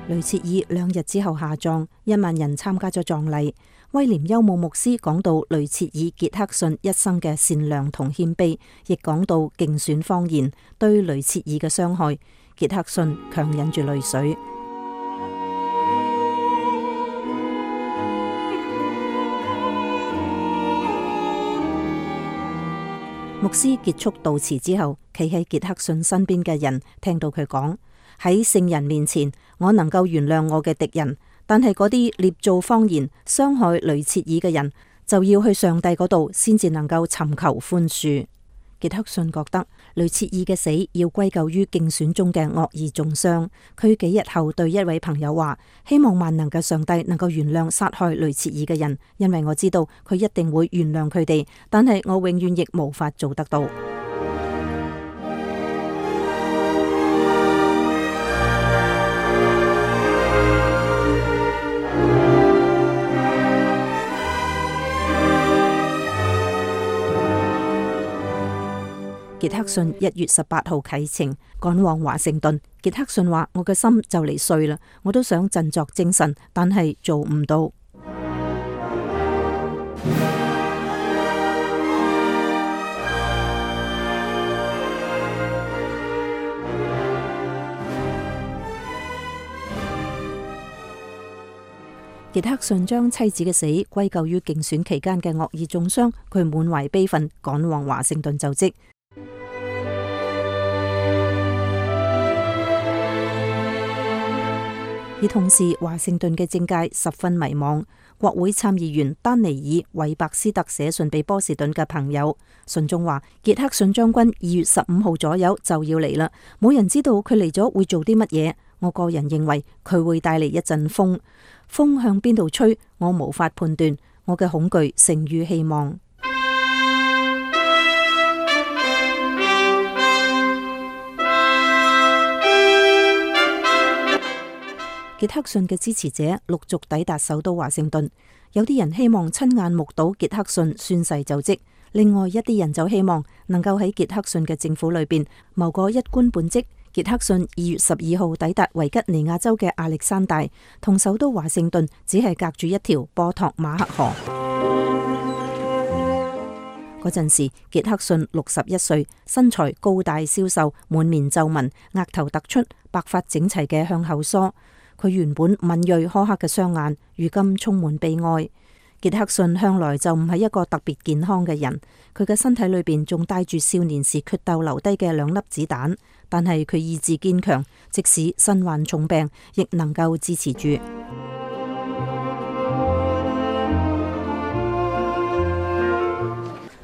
雷切爾兩日之後下葬，一萬人參加咗葬禮。威廉休姆牧師講到雷切爾傑克遜一生嘅善良同謙卑，亦講到競選謊言對雷切爾嘅傷害。傑克遜強忍住淚水。牧師結束悼詞之後，企喺傑克遜身邊嘅人聽到佢講：喺聖人面前，我能夠原諒我嘅敵人。但係嗰啲捏造謊言、傷害雷切爾嘅人，就要去上帝嗰度先至能夠尋求寬恕。傑克遜覺得雷切爾嘅死要歸咎於競選中嘅惡意中傷。佢幾日後對一位朋友話：希望萬能嘅上帝能夠原諒殺害雷切爾嘅人，因為我知道佢一定會原諒佢哋，但係我永遠亦無法做得到。傑克遜一月十八號啟程趕往華盛頓。傑克遜話：我嘅心就嚟碎啦，我都想振作精神，但係做唔到。傑克遜將妻子嘅死歸咎於競選期間嘅惡意中傷，佢滿懷悲憤趕往華盛頓就職。而同時，華盛頓嘅政界十分迷茫。國會參議員丹尼爾·韋伯斯特寫信俾波士頓嘅朋友，信中話：傑克遜將軍二月十五號左右就要嚟啦，冇人知道佢嚟咗會做啲乜嘢。我個人認為佢會帶嚟一陣風，風向邊度吹，我無法判斷。我嘅恐懼勝於希望。傑克遜嘅支持者陸續抵達首都華盛頓，有啲人希望親眼目睹傑克遜宣誓就職，另外一啲人就希望能夠喺傑克遜嘅政府裏邊謀個一官半職。傑克遜二月十二號抵達維吉尼亞州嘅亞歷山大，同首都華盛頓只係隔住一條波托馬克河。嗰陣時，傑克遜六十一歲，身材高大消瘦，滿面皺紋，額頭突出，白髮整齊嘅向後梳。佢原本敏銳苛刻嘅雙眼，如今充滿悲哀。傑克遜向來就唔係一個特別健康嘅人，佢嘅身體裏邊仲帶住少年時決鬥留低嘅兩粒子彈。但係佢意志堅強，即使身患重病，亦能夠支持住。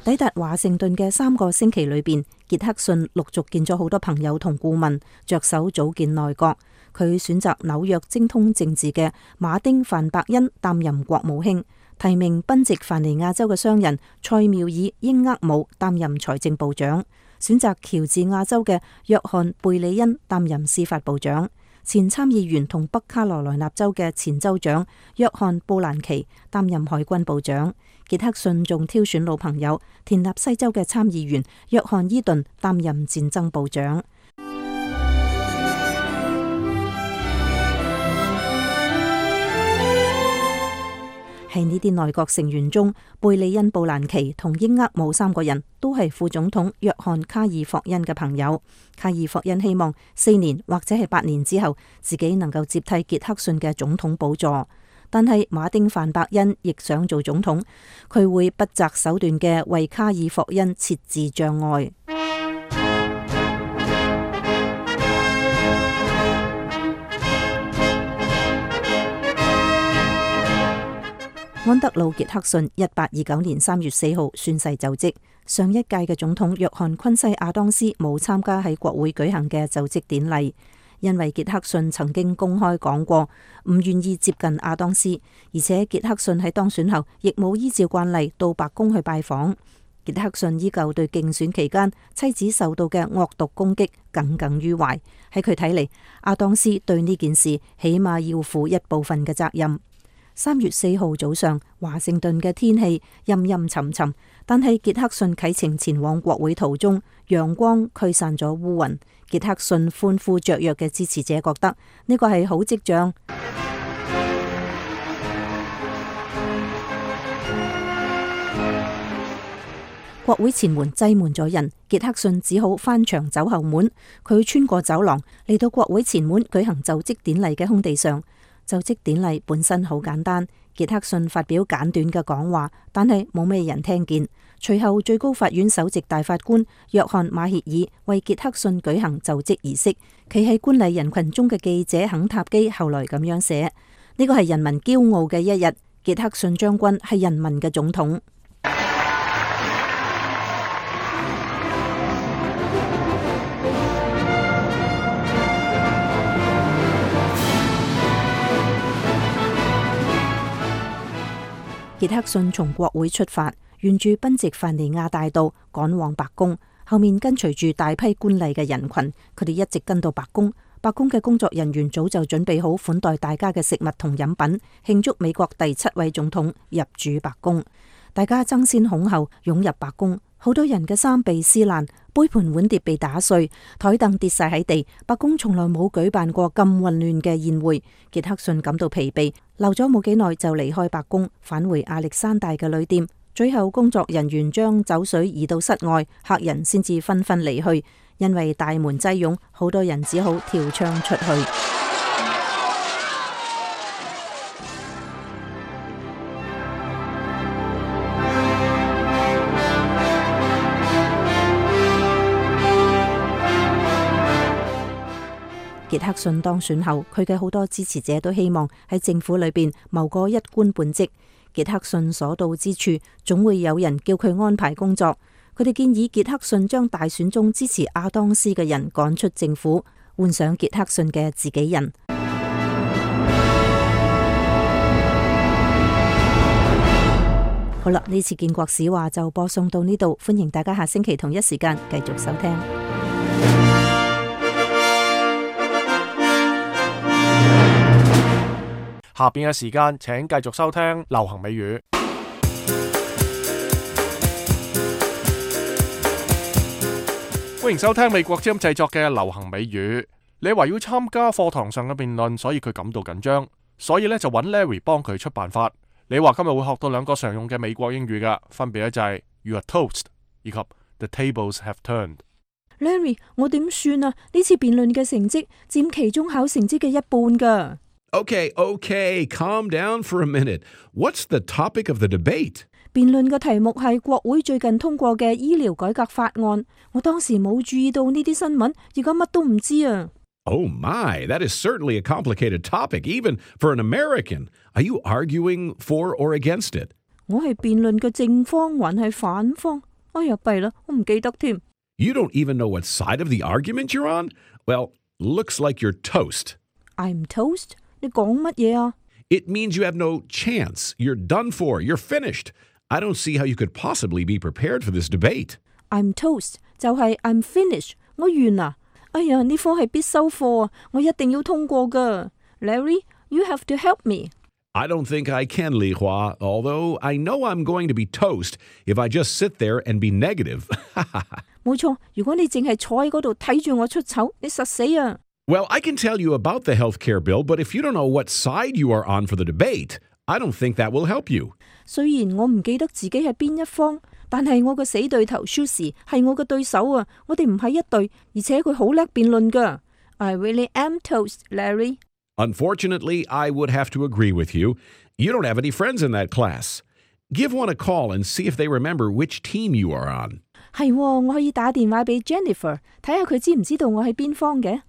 抵達華盛頓嘅三個星期裏邊，傑克遜陸續見咗好多朋友同顧問，着手組建內閣。佢選擇紐約精通政治嘅馬丁范伯恩擔任國務卿，提名賓夕凡尼亞州嘅商人塞繆爾英厄姆擔任財政部長，選擇喬治亞州嘅約翰貝里恩擔任司法部長，前參議員同北卡羅來納州嘅前州長約翰布蘭奇擔任海軍部長。傑克遜仲挑選老朋友田納西州嘅參議員約翰伊頓擔任戰爭部長。喺呢啲內閣成員中，貝利恩、布蘭奇同英厄姆三個人都係副總統約翰卡爾霍恩嘅朋友。卡爾霍恩希望四年或者係八年之後，自己能夠接替傑克遜嘅總統寶座。但係馬丁范伯恩亦想做總統，佢會不擇手段嘅為卡爾霍恩設置障礙。安德魯·傑克遜一八二九年三月四號宣誓就職。上一屆嘅總統約翰昆西亞當斯冇參加喺國會舉行嘅就職典禮，因為傑克遜曾經公開講過唔願意接近亞當斯，而且傑克遜喺當選後亦冇依照慣例到白宮去拜訪。傑克遜依舊對競選期間妻子受到嘅惡毒攻擊耿耿於懷。喺佢睇嚟，亞當斯對呢件事起碼要負一部分嘅責任。三月四號早上，華盛頓嘅天氣陰陰沉沉，但係傑克遜啟程前往國會途中，陽光驅散咗烏雲。傑克遜歡呼雀躍嘅支持者覺得呢個係好跡象。國會前門擠滿咗人，傑克遜只好翻牆走後門。佢穿過走廊嚟到國會前門舉行就職典禮嘅空地上。就職典禮本身好簡單，傑克遜發表簡短嘅講話，但係冇咩人聽見。隨後最高法院首席大法官約翰馬歇爾為傑克遜舉行就職儀式。企喺觀禮人群中嘅記者肯塔基後來咁樣寫：呢個係人民驕傲嘅一日，傑克遜將軍係人民嘅總統。傑克遜從國會出發，沿住賓夕凡尼亞大道趕往白宮，後面跟隨住大批觀禮嘅人群，佢哋一直跟到白宮。白宮嘅工作人員早就準備好款待大家嘅食物同飲品，慶祝美國第七位總統入主白宮。大家爭先恐後湧入白宮，好多人嘅衫被撕爛，杯盤碗碟被打碎，台凳跌晒喺地。白宮從來冇舉辦過咁混亂嘅宴會。傑克遜感到疲憊，留咗冇幾耐就離開白宮，返回亞歷山大嘅旅店。最後工作人員將酒水移到室外，客人先至紛紛離去。因為大門擠擁，好多人只好跳窗出去。傑克遜當選後，佢嘅好多支持者都希望喺政府裏邊謀個一官半職。傑克遜所到之處，總會有人叫佢安排工作。佢哋建議傑克遜將大選中支持亞當斯嘅人趕出政府，換上傑克遜嘅自己人。好啦，呢次建國史話就播送到呢度，歡迎大家下星期同一時間繼續收聽。下邊嘅時間，請繼續收聽流行美語。歡迎收聽美國之音製作嘅流行美語。你話要參加課堂上嘅辯論，所以佢感到緊張，所以咧就揾 Larry 幫佢出辦法。你話今日會學到兩個常用嘅美國英語噶，分別咧就係 You are toast 以及 The tables have turned。Larry， 我點算啊？呢次辯論嘅成績佔期中考成績嘅一半噶。Okay, okay, calm down for a minute. What's the topic of the debate? 辯論嘅題目係國會最近通過嘅醫療改革法案。我當時冇注意到呢啲新聞，而家乜都唔知啊。Oh my, that is certainly a complicated topic, even for an American. Are you arguing for or against it? 我係辯論嘅正方還係反方？哎呀，弊啦，我唔記得添。You don't even know what side of the argument you're on? Well, looks like you're toast. I'm toast? 你講乜嘢啊？ It means you have no chance. You're done for. You're finished. I don't see how you could possibly be prepared for this debate. I'm toast 就係 I'm finished， 我完啦。哎呀，呢科係必修課啊，我一定要通過㗎。Larry, you have to help me. I don't think I can, Li Hua, although I know I'm going to be toast if I just sit there and be negative. 冇錯，如果你淨係坐喺嗰度睇住我出醜，你實死啊！ Well, I can tell you about the health care bill, but if you don't know what side you are on for the debate, I don't think that will help you. 雖然我唔記得自己係邊一方，但係我個死對頭 Susie 係我嘅對手啊！我哋唔係一對，而且佢好叻辯論㗎。I really am toast, Larry. Unfortunately, I would have to agree with you. You don't have any friends in that class. Give one a call and see if they remember which team you are on. 係喎，我可以打電話俾 Jennifer， 睇下佢知唔知道我係邊方嘅。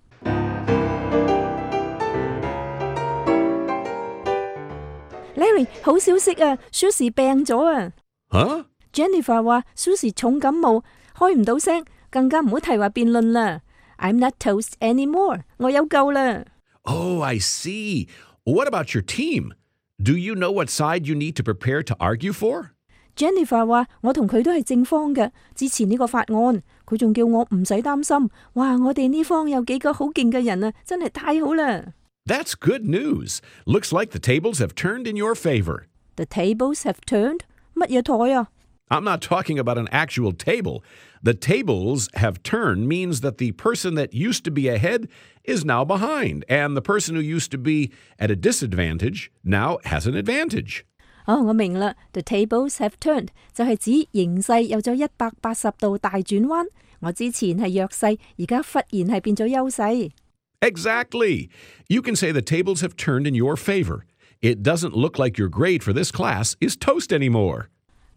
Larry， 好消息啊 ，Susie 病咗啊！吓 ？Jennifer 話 Susie 重感冒，開唔到聲，更加唔好提話辯論啦。I'm not toast anymore， 我有救啦。Oh, I see. What about your team? Do you know what side you need to prepare to argue for? Jennifer 話我同佢都係正方嘅，支持呢個法案。佢仲叫我唔使擔心。哇，我哋呢方有幾個好勁嘅人啊，真係太好啦！ That's good news. Looks like the tables have turned in your favor. The tables have turned? 乜嘢台啊？ I'm not talking about an actual table. The tables have turned means that the person that used to be ahead is now behind, and the person who used to be at a disadvantage now has an advantage. 哦，我明啦。The tables have turned 就係指形勢有咗一百八十度大轉彎。我之前係弱勢，而家忽然係變咗優勢。Exactly. You can say the tables have turned in your favor. It doesn't look like your grade for this class is toast anymore.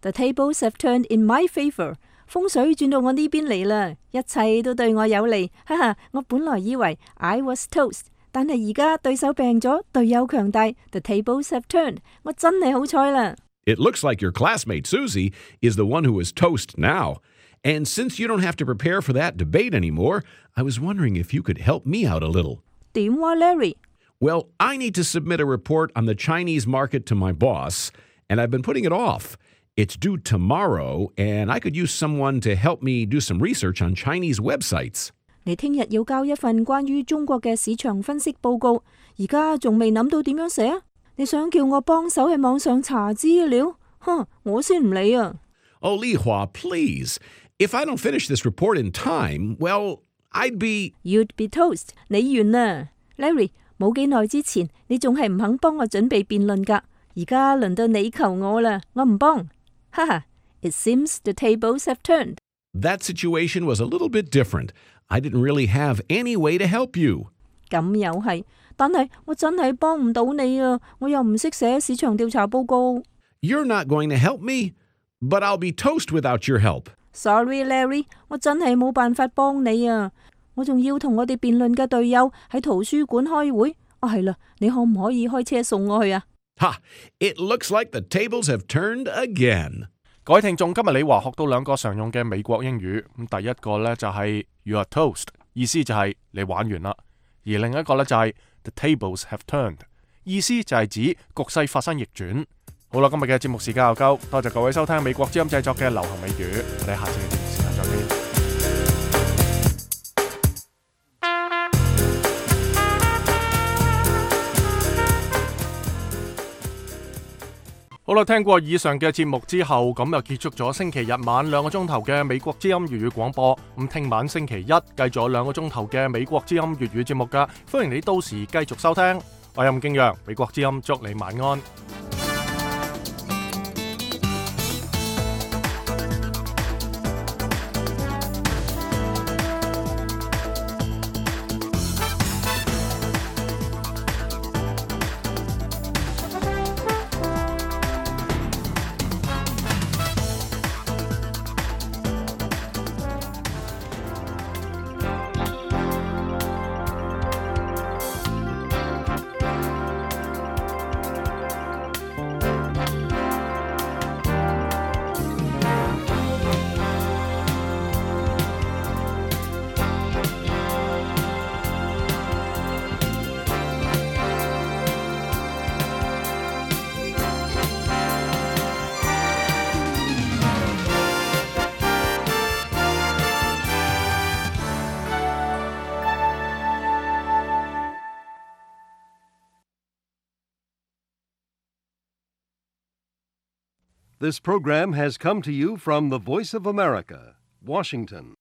The tables have turned in my favor. 風水轉到我呢邊嚟啦，一切都對我有利。哈哈，我本來以為 I was toast， 但係而家對手病咗，隊友強大。The tables have turned. 我真係好彩啦。It looks like your classmate Susie is the one who is toast now. And since you don't have to prepare for that debate anymore, I was wondering if you could help me out a little. 點話 Larry? Well, I need to submit a report on the Chinese market to my boss, and I've been putting it off. It's due tomorrow, and I could use someone to help me do some research on Chinese websites. 你聽日要交一份關於中國嘅市場分析報告，而家仲未諗到點樣寫啊？你想叫我幫手喺網上查資料？哼，我先唔理啊！ Oh, Li Hua, please. If I don't finish this report in time, well, I'd be... You'd be toast. 你完啦 ，Larry。冇幾耐之前，你仲係唔肯幫我準備辯論㗎，而家輪到你求我啦，我唔幫。哈哈 ，It seems the tables have turned. That situation was a little bit different. I didn't really have any way to help you. 咁又係，但係我真係幫唔到你啊！我又唔識寫市場調查報告。You're not going to help me, but I'll be toast without your help. Sorry, Larry， 我真係冇辦法幫你啊！我仲要同我哋辯論嘅隊友喺圖書館開會。啊，係啦，你可唔可以開車送我去啊？ Ha! It looks like the tables have turned again. 各位聽眾，今日李華學到兩個常用嘅美國英語。咁第一個呢就係 You are toast， 意思就係你玩完啦。而另一個呢就係 The tables have turned， 意思就係指局勢發生逆轉。好啦，今日嘅節目時間又夠，多謝各位收聽美國之音製作嘅流行美語。我哋下次嘅節目時間再見。好啦，聽過以上嘅節目之後，咁又結束咗星期日晚兩個鐘頭嘅美國之音粵語廣播。咁聽晚星期一繼續有兩個鐘頭嘅美國之音粵語節目噶，歡迎你到時繼續收聽。我係吳敬陽，美國之音祝你晚安。This program has come to you from the Voice of America, Washington.